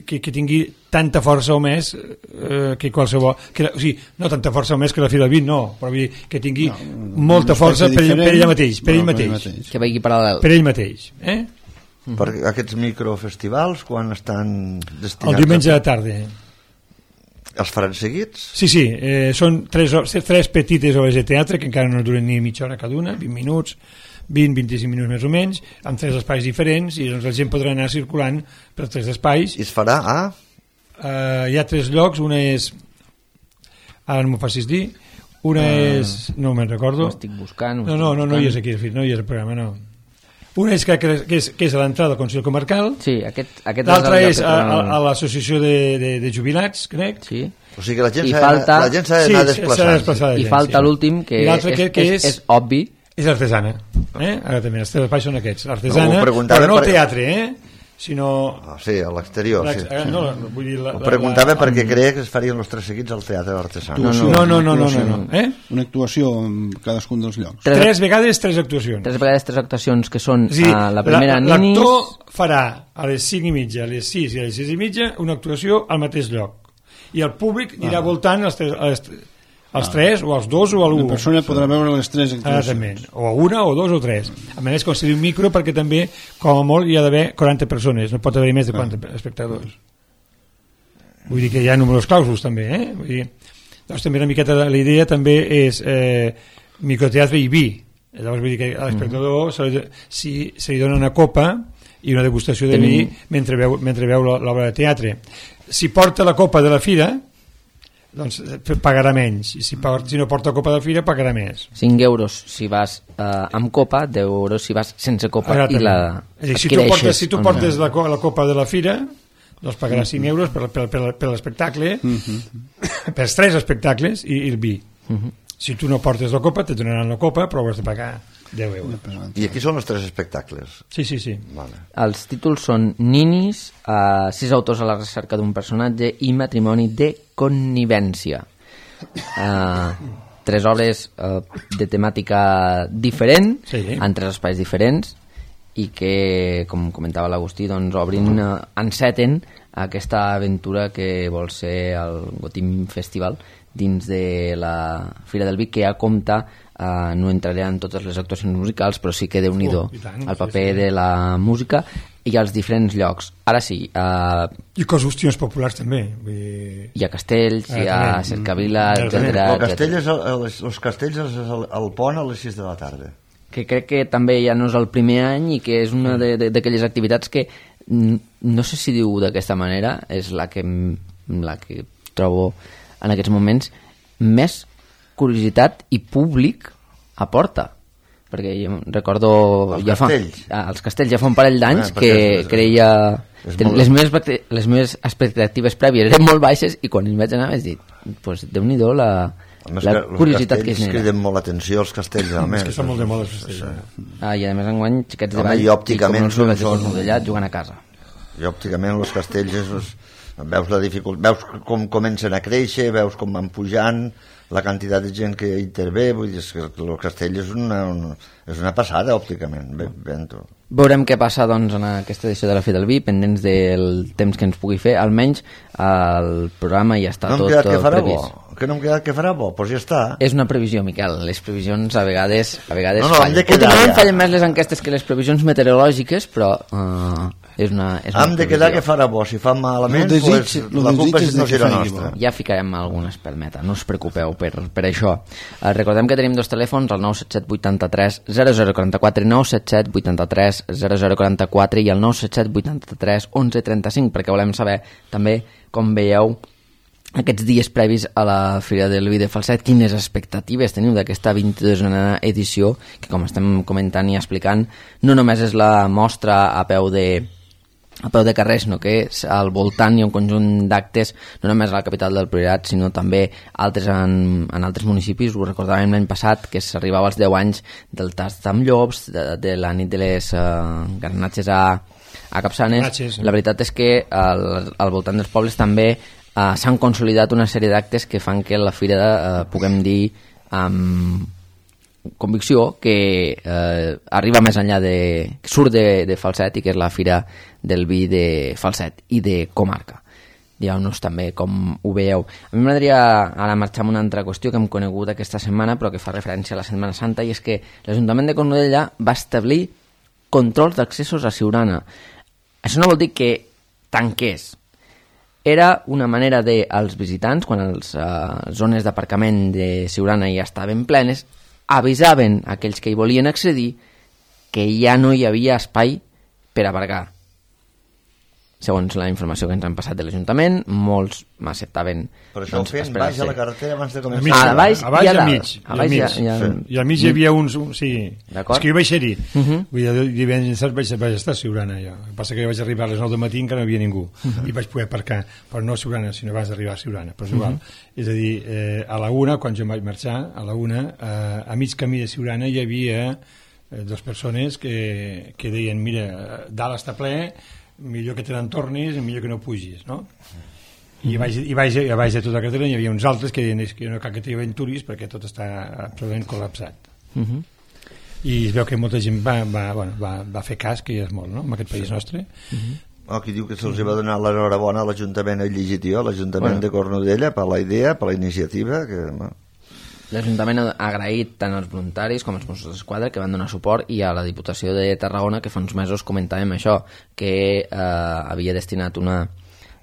que, que tingui tanta força o més eh, que qualsevol, que, o sigui, no tanta força o més que la Fira del Vi, no, però vull dir, que tingui no, molta força per, per ella mateix, per ell mateix, que vagi paral·lel, per ell mateix, eh? Uh-huh. Per aquests microfestivals, quan estan destinats... El diumenge a la tarda. Els faran seguits? Sí, sí, eh, són tres, tres petites obres de teatre que encara no duren ni mitja hora cada una, vint minuts, vint a vint-i-cinc minuts més o menys, amb tres espais diferents, i doncs la gent podrà anar circulant per tres espais. I es farà a... Uh, hi ha tres llocs, una és, ara no m'ho facis dir, una uh, és, no me'n recordo, ho estic buscant, ho no, no, no, no hi és buscant. aquí, no hi és el programa, no. Una és, que, que, és, que és a l'entrada del Consell Comarcal, sí, aquest, aquest l'altra és, és a, a, a l'associació de, de, de jubilats, crec, sí. O sigui que la gent I s'ha falta... d'anar sí, desplaçant. I falta sí. l'últim, que, que, és, que és, és, és obvi. És l'artesana. Eh? Ara també, els tres espais són aquests. L'artesana, no, però no el per... teatre, eh? sinó... Ah, sí, a l'exterior. Sí. No, vull dir... La, Ho preguntava la, la, perquè creia que es farien els tres seguits al Teatre Artesà. No, no, no, no, no, no, no. Eh? Una actuació en cadascun dels llocs. Tres, tres vegades tres actuacions. Tres vegades tres actuacions, que són sí, uh, la primera la, Ninis... L'actor farà a les cinc i mitja, a les sis i a les sis i mitja una actuació al mateix lloc. I el públic anirà ah. voltant els tres... Els, els ah. tres, o els dos, o l'un. La persona podrà veure les tres actuacions. O una, o dos, o tres. A més, concedir un micro perquè també, com a molt, hi ha d'haver quaranta persones. No pot haver més de quaranta ah. espectadors. Vull dir que hi ha números clausos, també. Eh? Vull dir, doncs també una miqueta la idea també és eh, microteatre i vi. Llavors vull dir que a l'espectador mm. se, li, si, se li dona una copa i una degustació de Tenim... vi mentre veu, mentre veu l'obra de teatre. Si porta la copa de la fira, doncs pagarà menys, i si, si no porta copa de fira pagarà més. Cinc euros si vas eh, amb copa, deu euros si vas sense copa. Exactament. I la és dir, si tu portes, si tu portes la, la copa de la fira, doncs pagaràs cinc euros per, per, per, per l'espectacle, mm-hmm. per tres espectacles i, i el vi. Mm-hmm. Si tu no portes la copa, te donaran la copa, però hauràs de pagar deu euros. I aquí són els tres espectacles? Sí, sí, sí. Vale. Els títols són Ninis, uh, sis autors a la recerca d'un personatge i Matrimoni de connivència. Uh, tres obres uh, de temàtica diferent, sí. en tres espais diferents, i que, com comentava l'Agustí, doncs obrin, uh, enceten aquesta aventura que vol ser el Gotim Festival dins de la Fira del Vi, que ja compta, uh, no entraré en totes les actuacions musicals, però sí que déu-n'hi-do oh, el paper sí, sí. de la música i els diferents llocs. Ara sí... Uh, I qüestions populars també. Vull dir... Hi ha castells, ah, hi ha cercavila, etcètera. El castell és el, els, els castells és el, el pont a les sis de la tarda. Que crec que també ja no és el primer any i que és una d'aquelles activitats que no sé si diu d'aquesta manera, és la que, la que trobo en aquests moments més curiositat i públic aporta, perquè jo recordo els ja castells fa, ah, els castells ja fa un parell d'anys ah, que és, creia ten, les, meves, les meves expectatives prèvies eren molt baixes i quan hi vaig anar vaig dir pues, Déu-n'hi-do la, la curiositat que es genera. Criden molt l'atenció els castells, almenys. És que són molt de moda els castells. Ah, i a més enguany xiquets de ball i òpticament i com els són modellat jugant a casa. I òpticament els castells és, veus la dificultat, veus com comencen a créixer, veus com van pujant, la quantitat de gent que intervé, vull dir que el castell és una, una, és una passada òpticament. Ben, ben Veurem què passa doncs, en aquesta edició de la Fira del Vi, pendents del temps que ens pugui fer. Almenys el programa ja està no tot, tot tot previst. Bo. Que no em quedat que farà bo, doncs ja està. És una previsió, Miquel. Les previsions a vegades, a vegades no, no, fallen. Últimament fallen més les enquestes que les previsions meteorològiques, però uh, és una, és una hem de quedar que farà bo. Si fa malament, desig, pues, la culpa no serà nostra. Ja ficarem alguna espelmeta, no us preocupeu per, per això. Uh, recordem que tenim dos telèfons, el nou set set vuit tres zero zero quatre quatre, nou set set vuit tres zero zero quatre quatre i el nou set set vuit tres onze trenta cinc, perquè volem saber també com veieu aquests dies previs a la Fira del Vi de Falset, quines expectatives teniu d'aquesta vint-i-dosena edició, que com estem comentant i explicant, no només és la mostra a peu de a peu de carrer, sinó que al voltant hi ha un conjunt d'actes, no només a la capital del Priorat, sinó també altres en, en altres municipis. Ho recordàvem l'any passat, que s'arribava als deu anys del tast amb llops, de, de la nit de les uh, garnatges a, a Capçanes. Natxes, la veritat és que al, al voltant dels pobles també uh, s'han consolidat una sèrie d'actes que fan que la fira uh, puguem dir amb convicció que eh, arriba més enllà de... surt de, de Falset i que és la Fira del Vi de Falset i de comarca. Digueu-nos també com ho veieu. A mi m'agradaria ara marxar amb una altra qüestió que hem conegut aquesta setmana però que fa referència a la Setmana Santa, i és que l'Ajuntament de Cornudella va establir controls d'accessos a Siurana. Això no vol dir que tanqués. Era una manera de, als visitants, quan les uh, zones d'aparcament de Siurana ja estaven plenes, avisaven aquells que hi volien accedir que ja no hi havia espai per aparcar. Segons la informació que ens han passat de l'Ajuntament, molts m'acceptaven. Però això doncs, ho feien baix a la carretera abans de començar. A, mig, a baix, a baix i a dalt. mig. A baix I i a a- mig, i a- sí. I al mig hi havia uns... Un, sí. D'acord. És que jo vaig ser-hi. Uh -huh. Vull dir, divendres vaig, vaig estar a Siurana, jo. El que passa que jo vaig arribar a les nou del matí i encara no hi havia ningú. Uh -huh. I vaig poder aparcar, però no a Siurana, sinó abans d'arribar a Siurana. Però és igual. Uh -huh. És a dir, eh, a la una, quan jo vaig marxar, a la una, eh, a mig camí de Siurana hi havia eh, dues persones que, que deien, mira, dalt està ple, millor que te n'entornis i millor que no pugis, no? I a baix, i baix, i a baix de tota la carretera hi havia uns altres que deien és que no cal que t'hi aventuris perquè tot està absolutament col·lapsat. Uh -huh. I es veu que molta gent va, va, bueno, va, va fer cas, que ja és molt, no?, en aquest país nostre. Uh -huh. Oh, aquí diu que se'ls va donar l'enhorabona a l'Ajuntament, he llegit jo, a l'Ajuntament Bueno. de Cornudella per la idea, per la iniciativa, que... bueno, L'Ajuntament ha agraït tant als voluntaris com als Mossos d'Esquadra que van donar suport i a la Diputació de Tarragona, que fa uns mesos comentàvem això, que eh, havia destinat una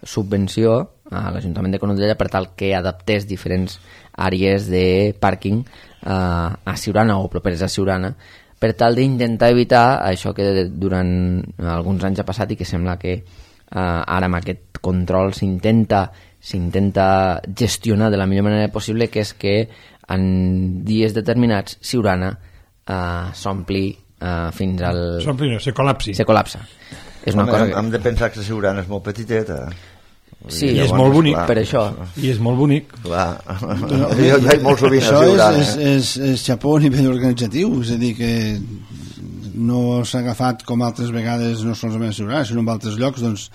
subvenció a l'Ajuntament de Cornudella per tal que adaptés diferents àrees de pàrquing eh, a Siurana o properes a Siurana per tal d'intentar evitar això que durant alguns anys ha passat i que sembla que eh, ara amb aquest control s'intenta s'intenta gestionar de la millor manera possible, que és que en dies determinats Siurana eh, s'ompli eh, fins al... S'ompli, no, se col·lapsi. se col·lapsa. És una home, cosa hem, que... hem de pensar que la Siurana és molt petiteta. Sí, I és llavors, molt bonic clar, per això. I és molt bonic. Clar. Jo hi vaig molt sovint a Això Siurana. és, és, és, és xapó a nivell organitzatiu, és a dir que no s'ha agafat com altres vegades, no solament a Siurana, sinó en altres llocs, doncs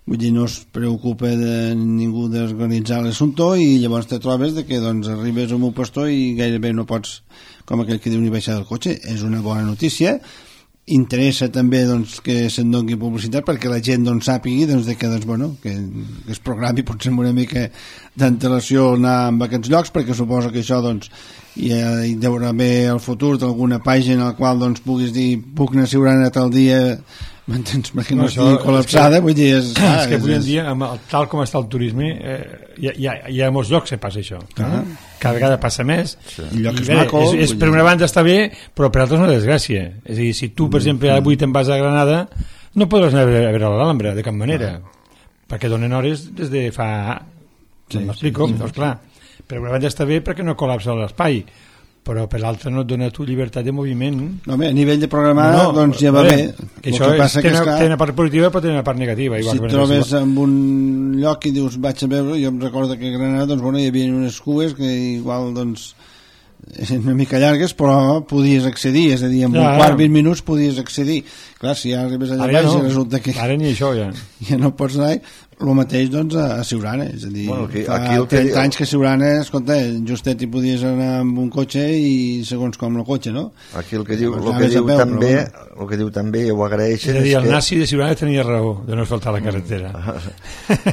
vull dir, no es preocupa de ningú d'organitzar l'assumpte i llavors te trobes de que doncs, arribes a un pastor i gairebé no pots, com aquell que diu, ni baixar del cotxe. És una bona notícia. Interessa també doncs, que se'n doni publicitat perquè la gent doncs, sàpigui doncs, de que, doncs, bueno, que, que es programi potser amb una mica d'antelació anar a aquests llocs, perquè suposo que això doncs, hi, ha, hi deurà haver el futur d'alguna pàgina al qual doncs, puguis dir puc anar a Siurana tal dia, m'entens? Perquè no, no estigui col·lapsada, vull dir, és, Ah, és que és, avui en és, dia, amb el, tal com està el turisme, eh, hi, ha, hi, ha, hi ha molts llocs que passa això. Ah. Cada vegada passa més. Sí. I llocs I bé, macos, és, és, vull per dir. una banda està bé, però per altres una desgràcia. És a dir, si tu, per exemple, avui te'n vas a Granada, no podràs anar a veure, a veure l'Alhambra, de cap manera, perquè donen hores des de fa... Sí, m'explico? Sí, sí. Doncs clar, per una banda està bé perquè no col·lapsa l'espai, però per l'altra no et dona tu llibertat de moviment. no, bé, a nivell de programar no, no, doncs ja va bé, bé. Que El això que passa és, té, que, una, esclar, té una part positiva però té una part negativa. Igual si que et trobes en un lloc i dius vaig a veure, jo em recordo que a Granada doncs, bueno, hi havia unes cues que igual doncs eren una mica llargues però podies accedir, és a dir, en Ja, un quart, ja. vint minuts podies accedir. Clar, si ja arribes allà Ara ja baix no. i resulta que Ara ni això ja. ja no pots anar, el mateix doncs a, a Siurana, és a dir, Bueno, aquí- fa aquí el que trenta diu- anys que a Siurana, escolta, justet hi podies anar amb un cotxe i segons com el cotxe, no? Aquí el que diu, Llavors el que anaves a diu peu, també, però el que diu també, i ho És agraeixen, a dir, és el que... nazi de Siurana tenia raó de no asfaltar la carretera.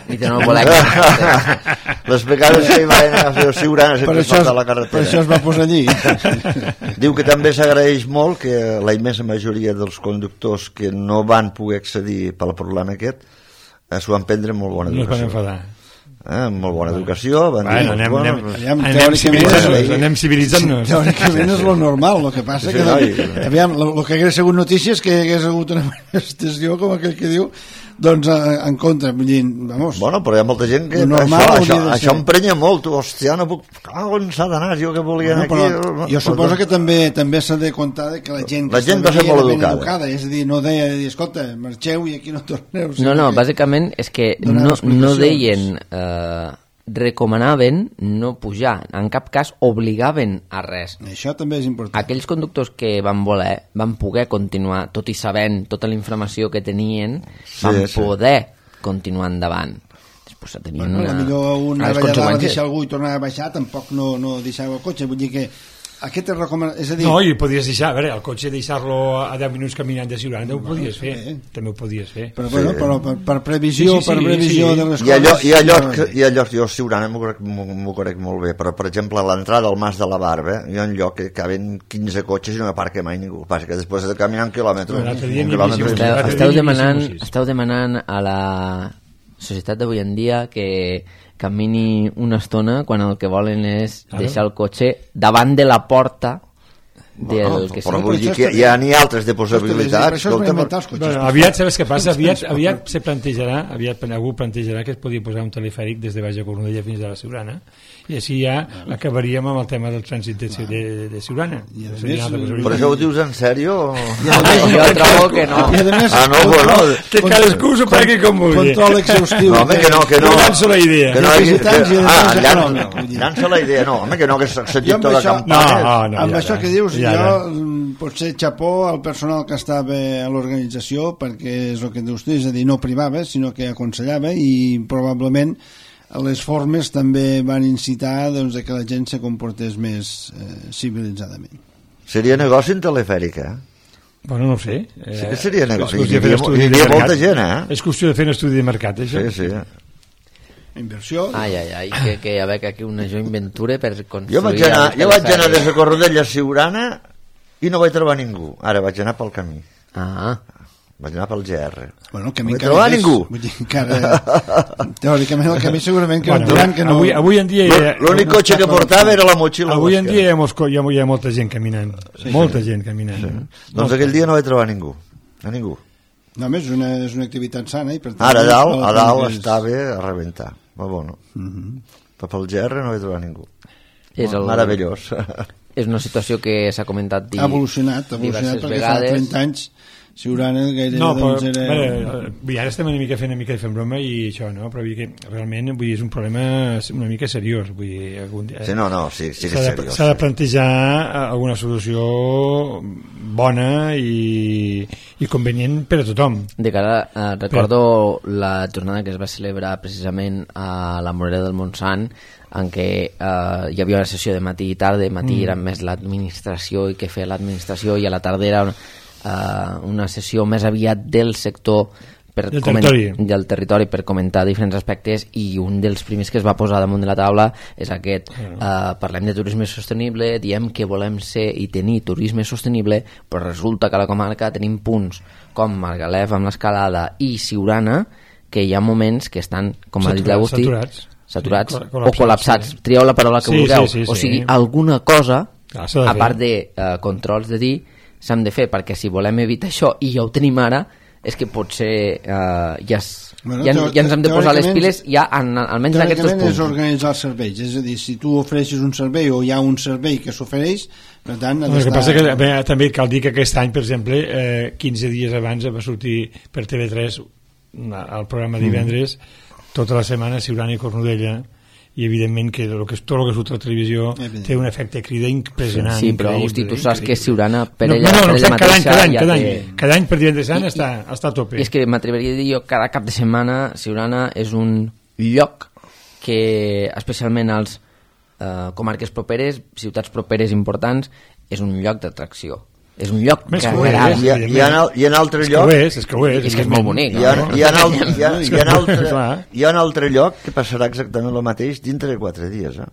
I de no voler... Les vegades que hi va anar a fer el Siurana per sempre això, es, falta la per carretera. això es va posar allí. Diu que també s'agraeix molt que la immensa majoria dels conductors que no van poder accedir pel problema aquest eh, s'ho van prendre amb molt bona No es van educació. enfadar. Eh, amb molt bona educació. Van dir, Bueno, anem, bueno, anem, aviam, anem teòricament- civilitzant-nos, anem civilitzant-nos. Teòricament és lo normal, el que passa Sí, que no, doncs, i- aviam, el que hagués sigut notícia és que hagués hagut una manifestació com aquell que diu doncs a- en contra, vull dir, vamos, Bueno, però hi ha molta gent que Lo normal això, hauria això, de això ser. emprenya molt. Tu, hòstia, no puc... Ah, on s'ha d'anar? Jo que volia anar bueno, aquí... però jo suposo que també també s'ha de comptar de que la gent que La gent estava va ser allí molt era ben educada. és a dir, no deia, de dir, escolta, marxeu i aquí no torneu. O sigui No, no, que- bàsicament és que Donar no, no explicacions. deien, eh, recomanaven no pujar, en cap cas obligaven a res. Això també és important. Aquells conductors que van voler van poder continuar, tot i sabent tota la informació que tenien, Sí, van sí. poder continuar endavant. Després tenien Bueno, una... millor un unes anava allà dalt a conseqüències. deixar algú i tornar a baixar, tampoc no, no deixava el cotxe, vull dir que Aquest és recomanat, és a dir... No, i podies deixar, a veure, el cotxe deixar-lo a deu minuts caminant de Siurana, també ho podies fer, sí. també ho podies fer. Però, bueno, però per, per previsió, Sí, sí, sí, per previsió sí. de les I allò, coses... i allò, que, i allò jo a Siurana m'ho conec, m'ho conec molt bé, però per exemple a l'entrada al Mas de la Barba hi ha un lloc que caben quinze cotxes i no aparca mai ningú, passa que després de caminar un quilòmetre, Bueno, l'altre dia un n'hi quilòmetre havia i sigut. mig. Esteu, Esteu esteu, dient demanant, que sí. esteu demanant a la societat d'avui en dia que camini una estona quan el que volen és Claro. deixar el cotxe davant de la porta del Bueno, que però sigui. vull dir que hi ha n'hi altres de possibilitats. Per això es van inventar els cotxes. Bueno, aviat, sabes què passa? Aviat, aviat se plantejarà, aviat algú plantejarà que es podia posar un telefèric des de Baix de Cornudella fins a la Siurana, i així ja acabaríem amb el tema del trànsit de, de, de Siurana. I a Seria més, una altra Però possibilitat. això ho dius en sèrio? Jo trobo que no. I a més, Ah, no, bueno, Que cadascú s'ho pregui com vulgui. control exhaustiu. no, home, que no, que no. Jo llanço la idea. Que no hi hagi- Visitants i que- además ah, econòmic, llança, vull dir. llança la idea, no, home, que no, que s'ha Jo sentit amb tota això- campanya. No, no, amb ja això ara. que dius, Ja jo ara. mm, potser xapó al personal que estava a l'organització, perquè és el que dius tu, és a dir, no privava, sinó que aconsellava, i probablement les formes també van incitar doncs, que la gent se comportés més eh, civilitzadament. Seria negoci en telefèric, eh? Bueno, no ho sé. Eh, Sí que seria negoci. és qüestió de fer Hi havia- estudi hi de havia mercat. molta gent, eh? És qüestió de fer un estudi de mercat, això. Sí, sí. Inversió... Ai, ai, ai, que, que hi ha aquí una joint venture per construir... Jo vaig anar, el jo vaig anar telefèric. des de Cornudella a Siurana i no vaig trobar ningú. Ara vaig anar pel camí. Ah, Vaig anar pel G R. Bueno, el camí No hi encara trobar és, ningú. vull dir, encara, teòricament el camí segurament que Bueno, bueno, diran que no... avui, avui en dia... hi ha- L'únic no cotxe està que portava era la motxilla. Avui en Oscar. dia hi ha, molts, co- hi ha, hi ha molta gent caminant. Sí, molta sí. gent caminant. Sí. Doncs aquell dia no vaig trobar ningú. A ningú. Només és una, és una activitat sana i per tant... Ara a dalt, és- a dalt és- estava a rebentar. Va bueno. Uh -huh. Però pel G R no vaig trobar ningú. és, el, Meravellós. és una situació que s'ha comentat di- Ha evolucionat, ha evolucionat diverses perquè vegades. fa trenta anys Siurana gairebé No, però doncs, era... veure, vull dir, ara estem una mica fent una mica de fent broma i això, no? Però vull dir que realment vull dir, és un problema una mica seriós. Vull dir, algun dia, Sí, no, no, sí, sí que s'ha és de, seriós. s'ha de plantejar alguna solució bona i, i convenient per a tothom. De cara, eh, recordo la jornada que es va celebrar precisament a la Morera del Montsant, en què eh, hi havia una sessió de matí i tarda. Matí mm. era més l'administració i què feia l'administració, i a la tarda era una, uh, una sessió més aviat del sector per Del coment- territori. del territori per comentar diferents aspectes, i un dels primers que es va posar damunt de la taula és aquest. Uh, parlem de turisme sostenible, diem que volem ser i tenir turisme sostenible, però resulta que a la comarca tenim punts com Margalef amb l'escalada i Siurana, que hi ha moments que estan, com ha dit Saturats, l'Agustí, saturats. saturats Sí, o col·lapsats, col·lapsats, sí. trieu la paraula que Sí, vulgueu, sí, sí, o sí. sigui, alguna cosa Clar, s'ha de a fer. part de uh, controls de dir s'han de fer, perquè si volem evitar això i ja ho tenim ara, és que potser uh, ja, es, Bueno, ja, teo- ja ens hem de posar les teòricament- piles ja en, almenys en aquests dos Teòricament és punts. organitzar els serveis, és a dir, si tu ofereixes un servei o hi ha un servei que s'ofereix, per tant... ha El que d'estar- passa que bé, també cal dir que aquest any, per exemple, eh, quinze dies abans va sortir per T V tres una- el programa divendres, tota la setmana Siurana i Cornudella, i evidentment que, el que tot el que surt a la televisió Evident. té un efecte crida impressionant. Sí, però increïble, Agustí, tu saps que increïble. Siurana per no, ella, no, no, per no, ella cada any, mateixa cada any, ja cada té... any, cada any per divendres sant I- està, està a tope. I és que m'atreviria a dir jo, cada cap de setmana Siurana és un lloc que, especialment als eh, comarques properes, ciutats properes importants, és un lloc d'atracció. És un lloc Més que que ho és, agrada. I, ha- i, en, al- I en altre és que lloc... ho és, és que ho és. És que és molt bonic, Hi ha, no? hi, ha, al- hi, ha, hi, ha altre, Clar. hi ha un altre lloc que passarà exactament el mateix dintre de quatre dies, eh?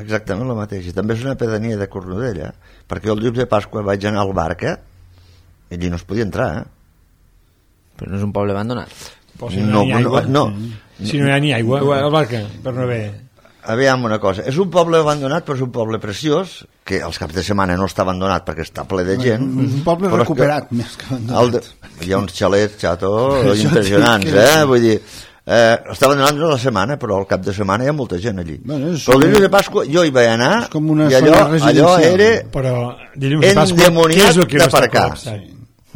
Exactament el mateix. I també és una pedania de Cornudella, perquè el dia de Pasqua vaig anar al Barca i allí no es podia entrar, eh? Però no és un poble abandonat. Però si no, No, hi ha ni aigua, no, si no hi ha ni aigua, al barca, per no haver... Aviam una cosa, és un poble abandonat però és un poble preciós, que els caps de setmana no està abandonat perquè està ple de gent. És un poble però és que recuperat, més que el abandonat. de, hi ha uns xalets, xato, Això impressionants, dic que- eh? Vull dir, eh, està abandonat no la setmana, però al cap de setmana hi ha molta gent allí. Bueno, és però el com- dilluns de Pasqua jo hi vaig anar és com una i allò, zona allò residencial. era Però dilluns de Pasqua, endemoniat què és el que no està d'aparcar. col·lapsat?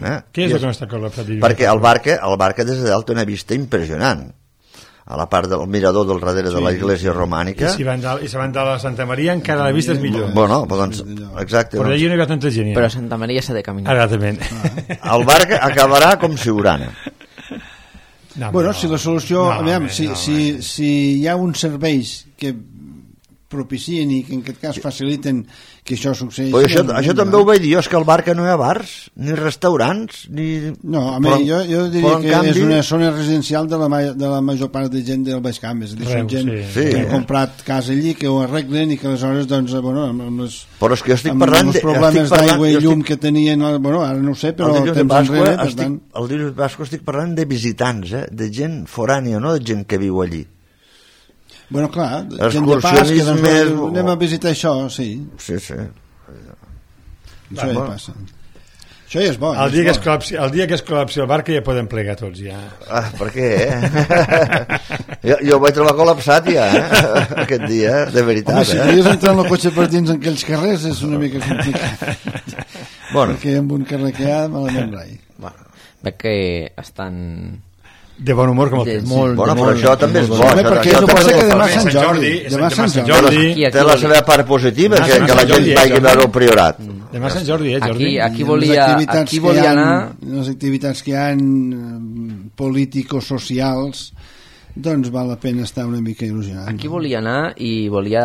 Eh? Què és I el que no està col·lapsat dilluns? Perquè el barca, el barca des de dalt té una vista impressionant. A la part del mirador del darrere de la iglesia romànica. I si van dalt, i si van dalt a Santa Maria encara la vista és millor. Bueno, però doncs, exacte. Però Doncs, allà no hi ha tanta gent. ja. Però a Santa Maria s'ha de caminar. Exactament. el barca acabarà com Siurana. No, Bueno, no. si la solució... No, aviam, home, si, no, si, si hi ha uns serveis que propicien i que en aquest cas faciliten que això succeeixi. Però això, això també ho vaig dir jo, és que al Barca no hi ha bars, ni restaurants, ni... No, a mi, jo, jo diria que canvi... és una zona residencial de la, de la major part de gent del Baix Camp, és a dir, són gent sí. que ha comprat casa allí, que ho arreglen i que aleshores, doncs, bueno, amb les, però és que jo estic amb parlant els de, problemes d'aigua i llum estic... que tenien, bueno, ara no ho sé, però el temps Basco, enrere, per estic, tant... el dilluns de Basco estic parlant de visitants, eh? De gent forània, no de gent que viu allí. Bueno, clar, gent de pas, que doncs, més... anem a visitar això, sí. Sí, sí. Això ja passa. Això ja és bo. El dia, que es col·lapsi, el dia que es col·lapsi el Barca ja podem plegar tots, ja. Ah, per què, eh? jo, jo ho vaig trobar col·lapsat ja, eh? Aquest dia, de veritat. Home, si eh? deies entrar en el cotxe per dins en aquells carrers és una mica complicat. Bueno. Perquè amb un carrer que hi ha, malament rai. Bueno, veig que estan... de bon humor com el temps. Molt, bueno, però això també és bo. Home, perquè això això passa que demà Sant Sant Jordi. Demà Demà Sant Jordi. Jordi. té la seva part positiva, que, que la gent vagi a veure el Priorat. Demà Sant Jordi, eh, Jordi? Aquí, aquí volia, aquí volia anar... Les activitats que hi ha político-socials, doncs val la pena estar una mica il·lusionat. Aquí volia anar i volia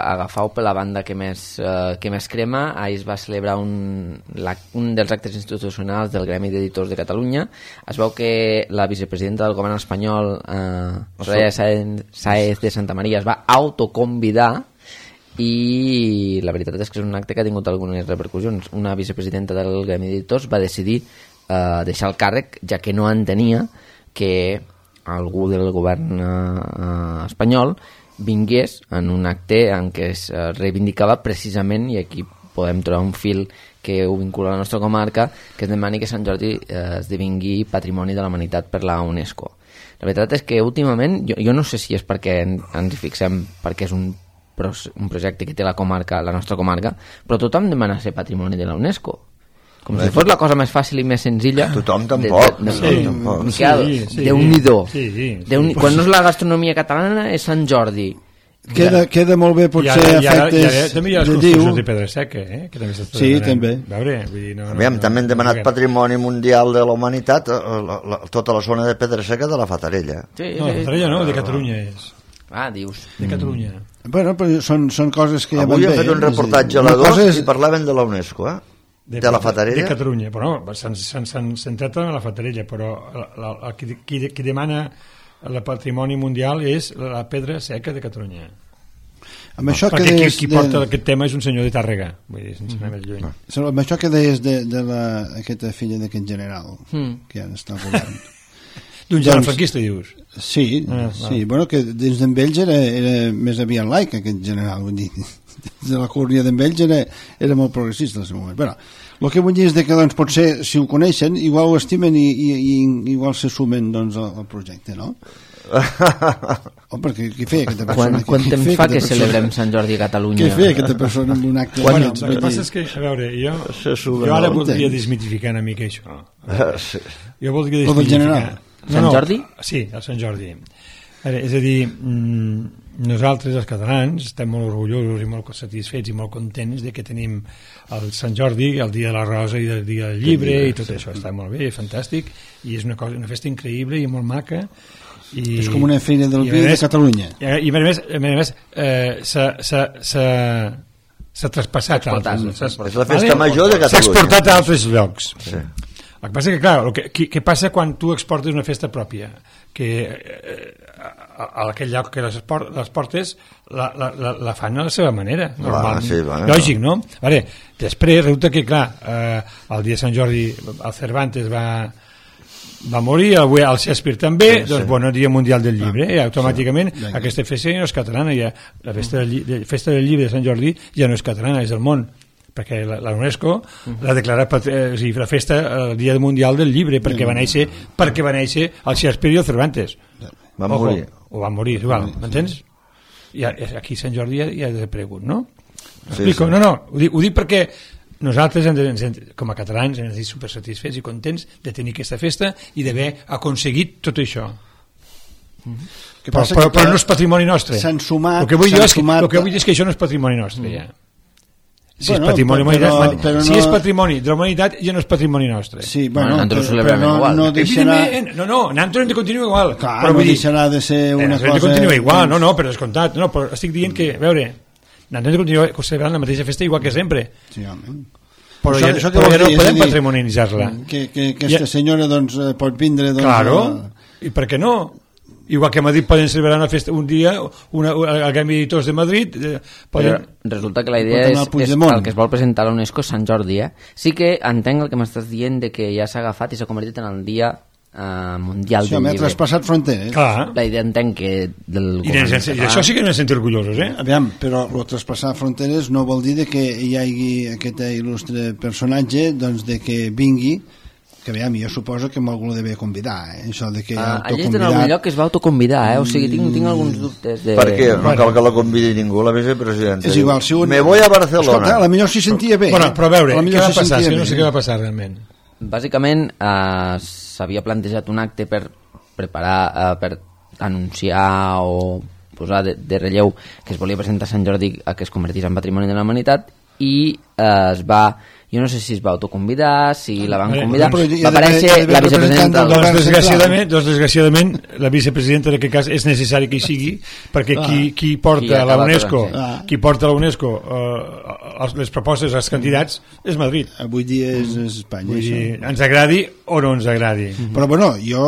agafar-ho per la banda que més, eh, que més crema. Ahir es va celebrar un, la, un dels actes institucionals del Gremi d'Editors de Catalunya. Es veu que la vicepresidenta del govern espanyol, eh, Soraya Sáez de Santa Maria, es va autoconvidar i la veritat és que és un acte que ha tingut algunes repercussions. Una vicepresidenta del Gremi d'Editors va decidir eh, deixar el càrrec, ja que no entenia que algú del govern eh, espanyol vingués en un acte en què es eh, reivindicava precisament, i aquí podem trobar un fil que ho vincula a la nostra comarca, que es demani que Sant Jordi eh, esdevingui Patrimoni de la Humanitat per la UNESCO. La veritat és que últimament, jo, jo no sé si és perquè en, ens hi fixem perquè és un, un projecte que té la comarca, la nostra comarca, però tothom demana ser Patrimoni de la UNESCO. Com si fos la cosa més fàcil i més senzilla. Tothom tampoc. De, de, de, sí, tampoc. Miquel, sí, sí, Déu-n'hi-do. Sí, sí, sí. Déu quan no és la gastronomia catalana és Sant Jordi. Queda, queda molt bé potser I ara, i ara, efectes i ara, també hi ha les de construccions diu. de Pedra Seca, eh? Que també Sí, també. Veure, vull dir, no, no, Aviam, no, també hem demanat no, Patrimoni Mundial de la Humanitat, la, la, tota la zona de Pedra Seca de la Fatarella. Sí, no, la Fatarella no, de Catalunya és. Ah, dius. De Catalunya. Bueno, però són, són coses que ja Avui van hem bé. fet un reportatge a la dos és... i parlaven de la UNESCO, eh? De, de la Fatarella? De Catalunya, però no, s'han centrat en la Fatarella, però la, la, la, qui, qui, qui demana el patrimoni mundial és la Pedra Seca de Catalunya. Amb això perquè que qui, deies qui de... porta aquest tema és un senyor de Tàrrega, vull dir, sense anar més lluny. No. Amb això que deies de, de la, aquesta filla d'aquest general, mm. que ja està al govern. D'un general doncs, franquista, dius? Sí, ah, sí. Ah. Bueno, que dins d'en Bells era, era més aviat laic, aquest general, vull dir. De la cúria d'en Bells era, era molt progressista en el seu moment. Bueno, el que vull dir és que doncs, potser, si ho coneixen, igual ho estimen i, i, i igual se sumen doncs, al, al projecte, no? Oh, perquè qui feia aquesta persona? Quan, quant temps fa que persona? Celebrem Sant Jordi a Catalunya? Què feia aquesta persona amb un acte? Bueno, el que passa és que, a veure, jo, jo ara voldria desmitificar una mica això. Sí. Jo voldria desmitificar. Sant no, Jordi? Sí, el Sant Jordi. És a dir, nosaltres, els catalans, estem molt orgullosos i molt satisfets i molt contents de que tenim el Sant Jordi, el dia de la Rosa i el dia del llibre, llibre i tot sí. Això està molt bé, fantàstic, i és una, cosa, una festa increïble i molt maca. I, és com una feina del vi de Catalunya. I, i a més, a més eh, s'ha traspassat a altres. És la festa vale? major de Catalunya. S'ha exportat a altres llocs. Sí. El que passa que, clar, el que, què passa quan tu exportes una festa pròpia? Que eh, a, a aquell lloc que les, esport, les portes la, la, la, la fan a la seva manera, normal. Ah, sí, bueno. Lògic, no? Veure, després resulta que, clar, eh, el dia de Sant Jordi el Cervantes va, va morir, el, el Shakespeare també, sí, doncs, sí. Bueno, Dia Mundial del Llibre, ah, i automàticament sí. Aquesta festa ja no és catalana, ja, la festa del, de, festa del Llibre de Sant Jordi ja no és catalana, és del món, perquè la, la UNESCO uh-huh. l'ha declarat eh, o sigui, la festa el Dia Mundial del Llibre perquè va néixer, perquè va néixer el Shakespeare i el Cervantes va morir o va morir, igual, m'entens? I aquí Sant Jordi ja, ja ha desaparegut, no? Sí, sí. No, no, ho dic, ho dic perquè nosaltres hem de, com a catalans hem de ser super satisfets i contents de tenir aquesta festa i d'haver aconseguit tot això. Uh-huh. Però, però, però no és patrimoni nostre. S'han sumat, el que vull dir és, sumat... que, és que això no és patrimoni nostre, ja. Si, bueno, és patrimoni, però, però, però si no... és patrimoni de la humanitat ja no és patrimoni nostre. Sí, bueno, bueno però, però no, igual. no deixarà... No, no, nosaltres hem de continuar igual. Clar, però no vull dir, deixarà de ser una eh, cosa... de continuar igual, no, no, però descomptat. No, però estic dient que, a veure, nosaltres continuem celebrant la mateixa festa igual que sempre. Sí, home. Però això, ja, això però ja no dir, podem dir, patrimonialitzar-la. Que, que aquesta ja. senyora doncs, pot vindre... Doncs, claro, a... i per què no? Igual que a Madrid poden celebrar una festa un dia, una, una, el Gremi d'Editors de Madrid eh, poden... resulta que la idea és, és el que es vol presentar a l'UNESCO és Sant Jordi, eh? Sí que entenc el que m'estàs dient de que ja s'ha agafat i s'ha convertit en el dia uh, mundial sí, del llibre. Sí, traspassat fronteres. Clar. La idea entenc que del I, de, i d'això sí que n'hem sentit orgullosos, eh? Aviam, però el traspassar fronteres no vol dir de que hi hagi aquest il·lustre personatge doncs de que vingui, que aviam, jo suposo que algú l'ha de convidar, eh? Això de que ah, allà és en algun lloc que es va autoconvidar, eh? O sigui, tinc, tinc alguns dubtes de... Per què? No cal que la convidi ningú, la vicepresidenta. És igual, si un... Me voy a Barcelona. Escolta, a la millor s'hi sentia bé. Bueno, però a veure, què va si passar? És que no bé. sé què va passar realment. Bàsicament eh, s'havia plantejat un acte per preparar, eh, per anunciar o posar de, de relleu que es volia presentar a Sant Jordi a que es convertís en Patrimoni de la Humanitat i eh, es va... Jo no sé si es va autoconvidar, si la van convidar. Doncs, va aparèixer la vicepresidenta... Doncs desgraciadament, doncs desgraciadament la vicepresidenta en aquest cas és necessari que hi sigui perquè qui, qui porta a la UNESCO qui porta a la UNESCO uh, les propostes als candidats és Madrid. Avui dia és, és Espanya. Vull dir, ens agradi o no ens agradi. Mm-hmm. Però bueno, jo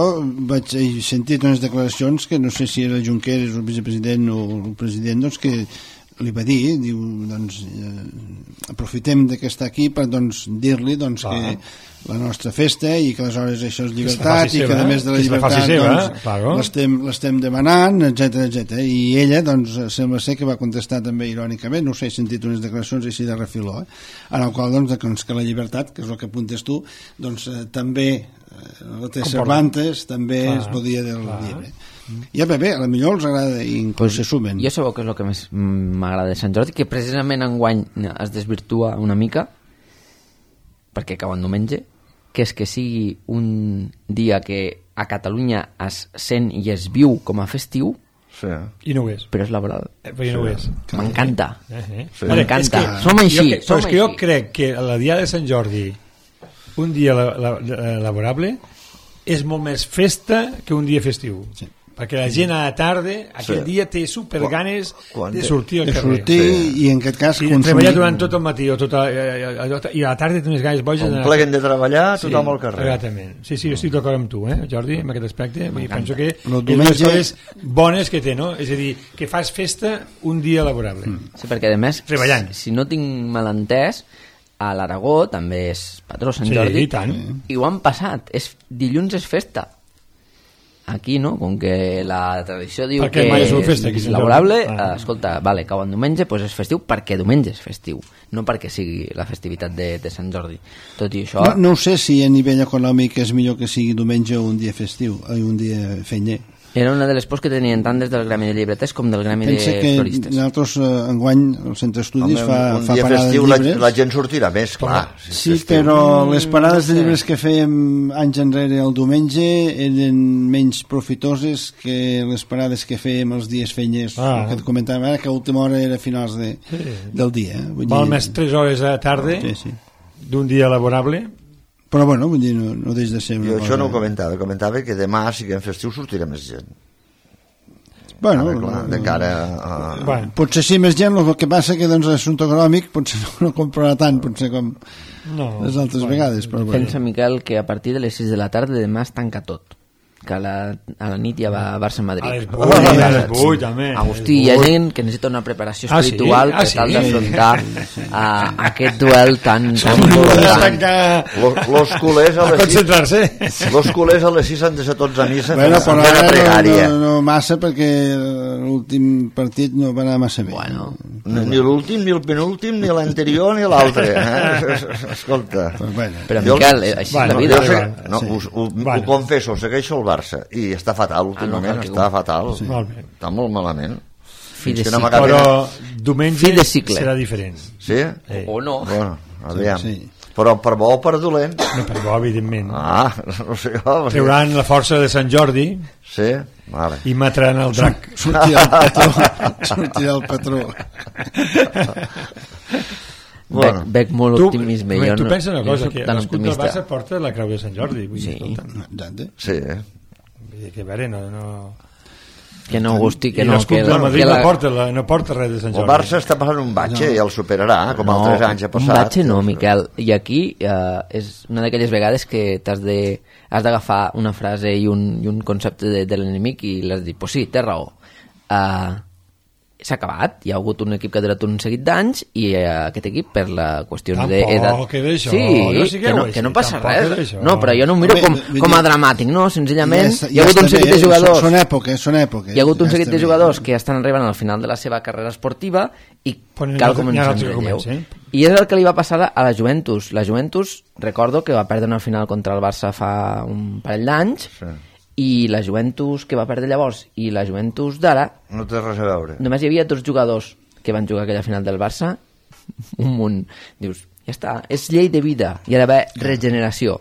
vaig sentir unes declaracions que no sé si era Junqueras el vicepresident o el president, doncs que li va dir, diu, doncs eh, aprofitem que està aquí per doncs, dir-li doncs, ah. que la nostra festa i que aleshores això és llibertat i que a més de la llibertat seva, doncs, claro. l'estem demanant, etcètera, etcètera. I ella doncs sembla ser que va contestar també irònicament, no sé, he sentit unes declaracions així de refiló, eh? En el qual doncs, que la llibertat, que és el que apuntes tu, doncs eh, també eh, la té Cervantes, també clar, es podia del clar. Llibre. Ja bé, bé, a la millor els agrada i inclús pues, se sumen. Jo sabeu que és el que més m'agrada de Sant Jordi, que precisament enguany es desvirtua una mica perquè cau en diumenge, que és que sigui un dia que a Catalunya es sent i es viu com a festiu, sí. I no ho és, però és laboral, eh, però no ho és. M'encanta, eh, eh. sí. m'encanta, que, som així, jo, som però és així. que jo crec que la dia de Sant Jordi un dia la, la, la, laborable és molt més festa que un dia festiu, sí. Perquè la gent a la tarda aquell sí. dia té super ganes quan, de sortir al de carrer sortir sí. I en aquest cas i de treballar durant tot el matí o tota, i a la tarda té més ganes boges on pleguen de treballar tothom sí, al carrer exactament. Sí, sí, jo estic d'acord amb tu, eh, Jordi, en aquest aspecte. Vull dir, penso que és diumenge... unes coses bones que té, no? És a dir, que fas festa un dia laborable. Sí, perquè a més, treballant. Si, si no tinc malentès, a l'Aragó també és patró Sant Jordi, sí, i tant. I ho han passat, és, dilluns és festa. Aquí no, com que la tradició diu perquè que és festa, és laborable, ah. escolta, vale, cau en diumenge, doncs és festiu perquè diumenge és festiu, no perquè sigui la festivitat de, de Sant Jordi. Tot i això... No, no ho sé si a nivell econòmic és millor que sigui diumenge o un dia festiu, o un dia fenyer. Era una de les pors que tenien tant des del Gremi de Llibreters com del Gremi Pensa de que Floristes. Nosaltres, eh, enguany, al Centre Estudis, Home, fa, un fa dia parada festiu de llibres. La, la gent sortirà més, clar. Sí, sí però les parades de llibres que fèiem anys enrere el diumenge eren menys profitoses que les parades que fèiem els dies fenyers, ah. que et comentàvem ara, que a última hora era a finals de, sí. del dia. Eh? Vull Val dir... més tres hores a la tarda sí, sí. d'un dia laborable. Però bueno, vull dir, no, no deix de ser una jo cosa... això no ho comentava, comentava que demà, si que en festiu, sortirà més gent. Bueno, ara, clar, de cara a... bueno, potser sí més gent, el que passa que doncs l'assumpte econòmic potser no, no comprarà tant potser com no, les altres bueno, vegades, però bueno. Pensa, Miquel, que a partir de les sis de la tarda demà es tanca tot, que a la, a la nit ja va a Barça-Madrid. A les vuit, a les vuit també. Agustí, hi ha gent que necessita una preparació espiritual ah, sí? ah, per tal sí? d'afrontar a, a aquest duel tan... tan important. Los, los culers a les sis los culers a les sis han de ser tots a missa bueno, fent la pregària. No, no, no massa perquè l'últim partit no va anar massa bé. Bueno, ni, ni l'últim, ni el penúltim, ni l'anterior, ni l'altre. Eh? Escolta. Pues bueno. Però Miquel, així bueno, la vida... Jo sé, no, sí. ho, ho, bueno. ho confesso, segueixo el Barça i està fatal últimament, ah, no, està fatal sí. està molt malament fi de no però diumenge serà diferent sí? Eh. o no bueno, aviam. Sí. Però per bo o per dolent no, per bo evidentment ah, no sé jo, treuran la força de Sant Jordi sí? Vale. I mataran el drac sortirà el patró sortirà el patró Bueno, veig molt tu, optimisme. Tu no, pensa una cosa, que l'escut del Barça porta la creu de Sant Jordi. Vull sí. dir, sí. Vull dir que, a veure, no... no... Que no, Agustí, que I no... l'escut que de la- Madrid que la- no, porta la, no porta res de Sant El Jordi. Barça està passant un batxe i el superarà, com no, altres anys ha passat. un batxe no, Miquel. I aquí eh, és una d'aquelles vegades que t'has de has d'agafar una frase i un, i un concepte de, de l'enemic i l'has de dir, pues sí, té raó. Uh, s'ha acabat, hi ha hagut un equip que ha durat un seguit d'anys i uh, aquest equip per la qüestió d'edat... Tampoc queda això, sí, no sigueu que, no, així, que no passa tampoc queda res. això. No, però jo no ho miro Home, com, vull com a dir- dramàtic, no? Senzillament Ja, hi ha hagut un seguit de jugadors... Són èpoques, són èpoques. Hi ha hagut un ja seguit està de bé. jugadors que estan arribant al final de la seva carrera esportiva i Però n'hi ha cal altres- n'hi ha començar altres en que relleu. comencen. I és el que li va passar a la Juventus. La Juventus, recordo que va perdre una final contra el Barça fa un parell d'anys Sí. i la Juventus que va perdre llavors i la Juventus d'ara, No té res a veure. només hi havia dos jugadors que van jugar aquella final del Barça, un munt. Dius, ja està, és llei de vida, hi ha d'haver regeneració,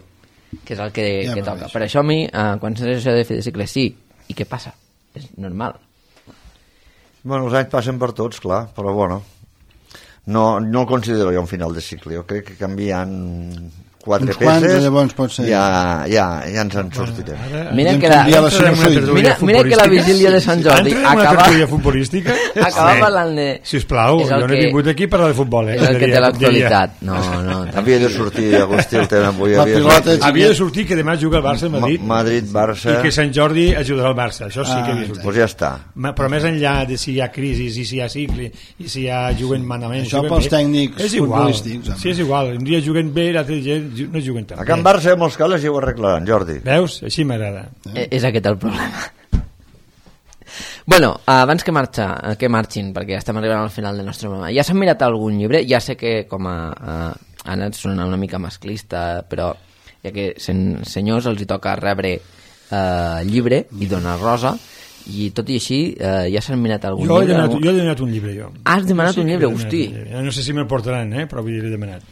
que és el que, Ja que va toca. bé, Per això a mi, eh, quan s'ha això de fer de cicle, sí, i què passa? És normal. Bueno, els anys passen per tots, clar, però bueno, no, no el considero jo un final de cicle. Jo crec que canviant quatre Uns quants, peces llavors pot ser. ja, ja, ja ens en sortirem. Ara, Mira Podem que la, canviar la entrarem en una sinusoide. tertúlia mira, mira que la futbolística. vigília de Sant Jordi Entrem en una acaba, tertúlia futbolística? acaba Sí. parlant de... Sisplau, és el jo no he que- vingut aquí a parlar de futbol, eh? És el que té Diria- l'actualitat. No, no. Havia de sortir, Agustí, el tema avui. La havia de pilota sortir. és- Havia de sortir que demà juga el Barça a Madrid Ma- Madrid, Barça... i que Sant Jordi ajudarà el Barça, això sí que havia de sortir. Doncs ja està. Ma- Però més enllà de si hi ha crisi, i si hi ha cicle, i si hi ha juguen manament... Això juguen pels bé, tècnics és igual. futbolístics, home. Sí, és igual. Un dia juguen bé, l'altre dia ju- no juguen tan A bé. Can Barça, a molts cales, ja ho arreglaran, Jordi. Veus? Així m'agrada. Eh, És aquest el problema. Bueno, abans que marxa, eh, que marxin, perquè ja estem arribant al final del nostre programa, ja s'han mirat algun llibre? Ja sé que com a... a ha anat sonant una mica masclista, però ja que sen, senyors els hi toca rebre eh, llibre i donar rosa, i tot i així eh, ja s'han mirat algun Jo he, llibre? demanat, algun- jo he demanat un llibre, jo. Has demanat Jo sí un que llibre, he demanat hosti. un llibre. No sé si me'l portaran, eh? Però vull dir, l'he demanat.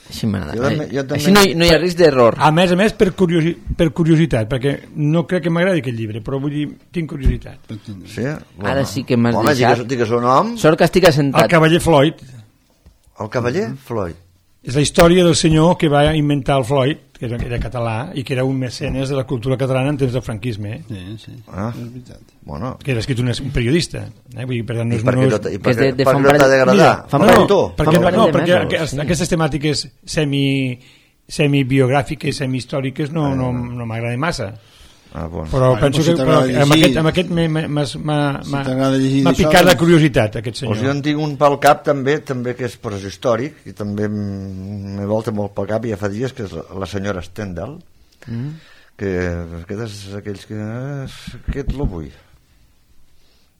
Així m'agrada. Jo també- jo Eh, també- Així no, hi- no hi ha risc d'error. A més a més, per, curiosi per curiositat, perquè no crec que m'agradi aquest llibre, però vull dir, tinc curiositat. Sí? Bueno. Ara sí que m'has Home, deixat. digues, digues el nom. Sort que estic El assentat. cavaller Floyd El cavaller Floyd. és la història del senyor que va inventar el Floyd, que era, era català, i que era un mecenes de la cultura catalana en temps del franquisme, eh? Sí, sí, Ah. és veritat. Bueno, Que era escrit un, un periodista. Eh? Vull dir, per tant, no i és, per no què és... no t'ha- i que per és de- què de per fa què un no t'ha parell- d'agradar? mira, fa un no, parell- no, tu? perquè, fa un no, parell de perquè mesos, aquest, sí. aquestes temàtiques semi, semi-biogràfiques, semi-històriques no, no, no m'agraden massa. Ah, bueno. Però Bueno, penso pues si que t'agrada però, amb llegir- aquest, amb aquest m'he- m'he- m'ha Si m'ha- t'agrada llegir m'ha d'això, picat la doncs- curiositat, aquest senyor. Pues jo en tinc un pel cap també, també que és preshistòric i també m'he volta molt pel cap i ja fa dies, que és la, la senyora Stendhal, Mm. que aquest és aquells que aquest lo vull,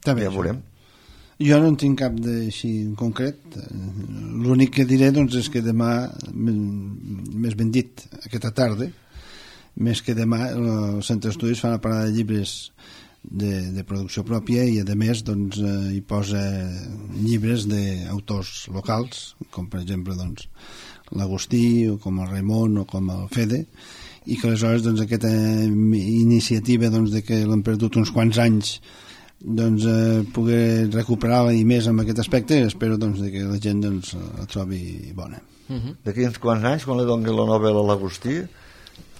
Està bé, ja això. veurem. Jo no en tinc cap d'així en concret. L'únic que diré doncs, és que demà, m- més ben dit, aquesta tarda, més que demà, el Centre d'Estudis fa una parada de llibres de, de producció pròpia i, a més, doncs, eh, hi posa llibres d'autors locals, com per exemple doncs, l'Agustí, o com el Raimon, o com el Fede, i que aleshores doncs, aquesta iniciativa doncs, de que l'han perdut uns quants anys doncs eh, poder recuperar-la i més amb aquest aspecte, espero doncs, de que la gent doncs, la trobi bona. D'aquí uns quants anys, quan li doni la novel·la a l'Agustí,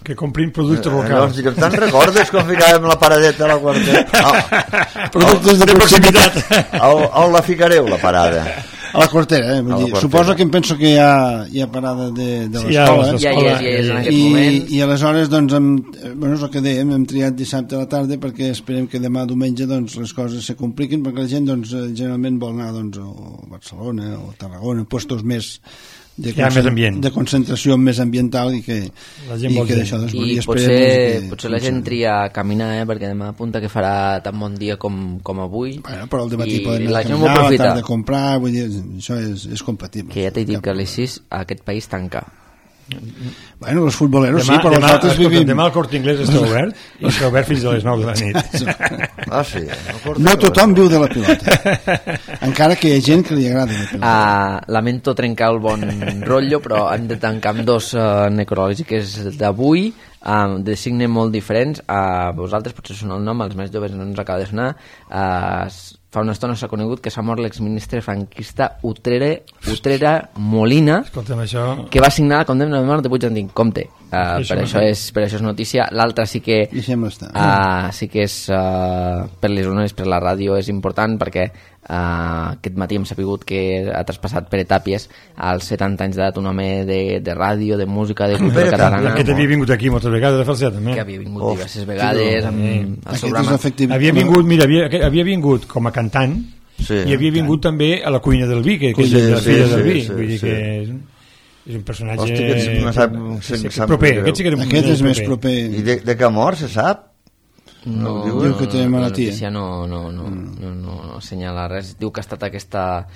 Que comprin productes eh, llavors locals. direm, te'n recordes quan ficàvem la paradeta a la quarteta? Ah, Productes de proximitat. on, on la ficareu, la parada? A la quartera, eh? Vull A la dir, quartera. suposo que em penso que hi ha, hi ha parada de, de Sí, hi ha l'escola. les Ja hi és, ja hi és en aquest I, moment. i aleshores doncs hem, eh, bueno, és el que dèiem, hem triat dissabte a la tarda perquè esperem que demà diumenge doncs, les coses se compliquin perquè la gent doncs, eh, generalment vol anar doncs, a Barcelona o a Tarragona, puestos més de, Hi ha més ambient. de concentració més ambiental i que, La gent i vol que gent. d'això doncs, I esperem, potser, doncs, que potser la gent funcioni. tria a caminar, eh? Perquè demà apunta que farà tan bon dia com, com avui. Bueno, però al dematí I podem la anar a gent ho caminar, a la aprofita. tarda a comprar, vull dir, això és, és compatible. Que ja t'he dit Cap que a les sis aquest país tanca. Bueno, els futboleros Demà, sí, però demà, nosaltres escolta, vivim... demà el Corte Inglés està obert i està obert fins a les nou de la nit. Ah, sí. No tothom viu de la pilota. Encara que hi ha gent que li agrada la pilota. Uh, lamento trencar el bon rotllo, però hem de tancar amb dos uh, necrològiques d'avui, uh, de signe molt diferents. Uh, vosaltres potser soneu el nom, els més joves no ens acaba de sonar. Uh, fa una estona s'ha conegut que s'ha mort l'exministre franquista Utrera, Utrera Molina, Escolta'm, això... que va signar la condemna de mort de Puigdemont. Compte, uh, Això per, no això sé. és, per això és notícia. L'altra sí que Deixem-ho estar. uh, sí que és uh, per les zones, per la ràdio és important, perquè uh, aquest matí hem sapigut que ha traspassat Pere Tàpies als setanta anys d'edat, un home de, de ràdio, de música, de cultura Pere catalana, Aquest havia vingut aquí moltes vegades a Falset, també. que havia vingut Oh, diverses vegades amb el Aquest seu és programa. l'efectiu... Havia vingut, mira, havia, havia vingut com a cantant, Sí. i havia vingut també a la cuina del vi, que, que és Sí, de la sí, filla sí, del vi, sí, vull dir sí. que és un, és un personatge Hosti, aquest no sap- sí, sí, sap proper, greu. aquest sí que era un Aquest és més proper. I de, de què mort, se sap? No, Diu Diu que té la malaltia. notícia no, no, no, no, no, no assenyala res. Diu que ha estat aquesta,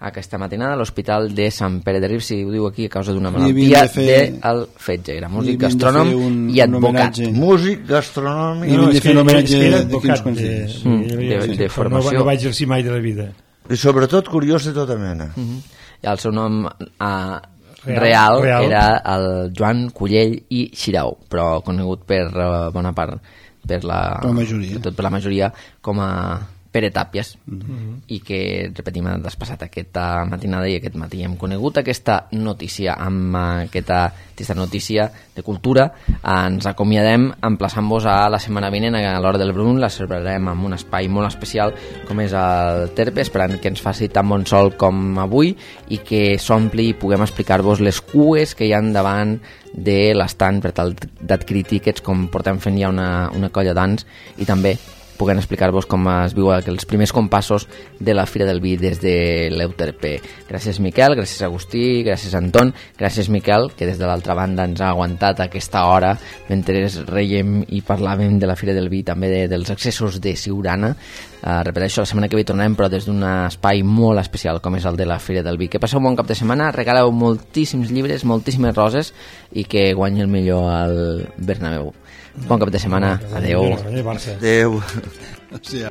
aquesta matinada a l'hospital de Sant Pere de Rius, i ho diu aquí a causa d'una Li havien malaltia de fer- del fetge. Era Li músic, havien de gastrònom fer un- i un advocat. homenatge. Músic, gastronòmic... I havien de fer un homenatge era de advocat quins quants de, dies. sí, Mm, era- de- sí, de però formació. No, va- no va exercir mai de la vida. I sobretot curiós de tota mena. Mhm. I el seu nom uh, Real, real, real. era el Joan Cullell i Xirau, però conegut per uh, bona part per la, Per la majoria. tot per la majoria com a Pere Tàpies, Mhm. i que, repetim, ha despassat aquesta matinada, i aquest matí hem conegut aquesta notícia. Amb aquesta, aquesta notícia de cultura ens acomiadem emplaçant-vos a la setmana vinent a l'Hora del Brun. La celebrarem amb un espai molt especial com és el Terpe, esperant que ens faci tan bon sol com avui i que s'ompli i puguem explicar-vos les cues que hi ha davant de l'estant per tal d'adquirir tíquets, com portem fent ja una, una colla d'anys, i també puguem explicar-vos com es viu els primers compassos de la Fira del Vi des de l'Euterpe. Gràcies, Miquel, gràcies, Agustí, gràcies, Anton, gràcies, Miquel, que des de l'altra banda ens ha aguantat aquesta hora mentre reiem i parlàvem de la Fira del Vi, també de, dels accessos de Siurana. Uh, repeteixo, la setmana que ve tornarem, però des d'un espai molt especial com és el de la Fira del Vi. Que passeu un bon cap de setmana, regaleu moltíssims llibres, moltíssimes roses, i que guanyi el millor al Bernabéu. Bon cap de setmana, adeu. Barça. Adéu. O sigui,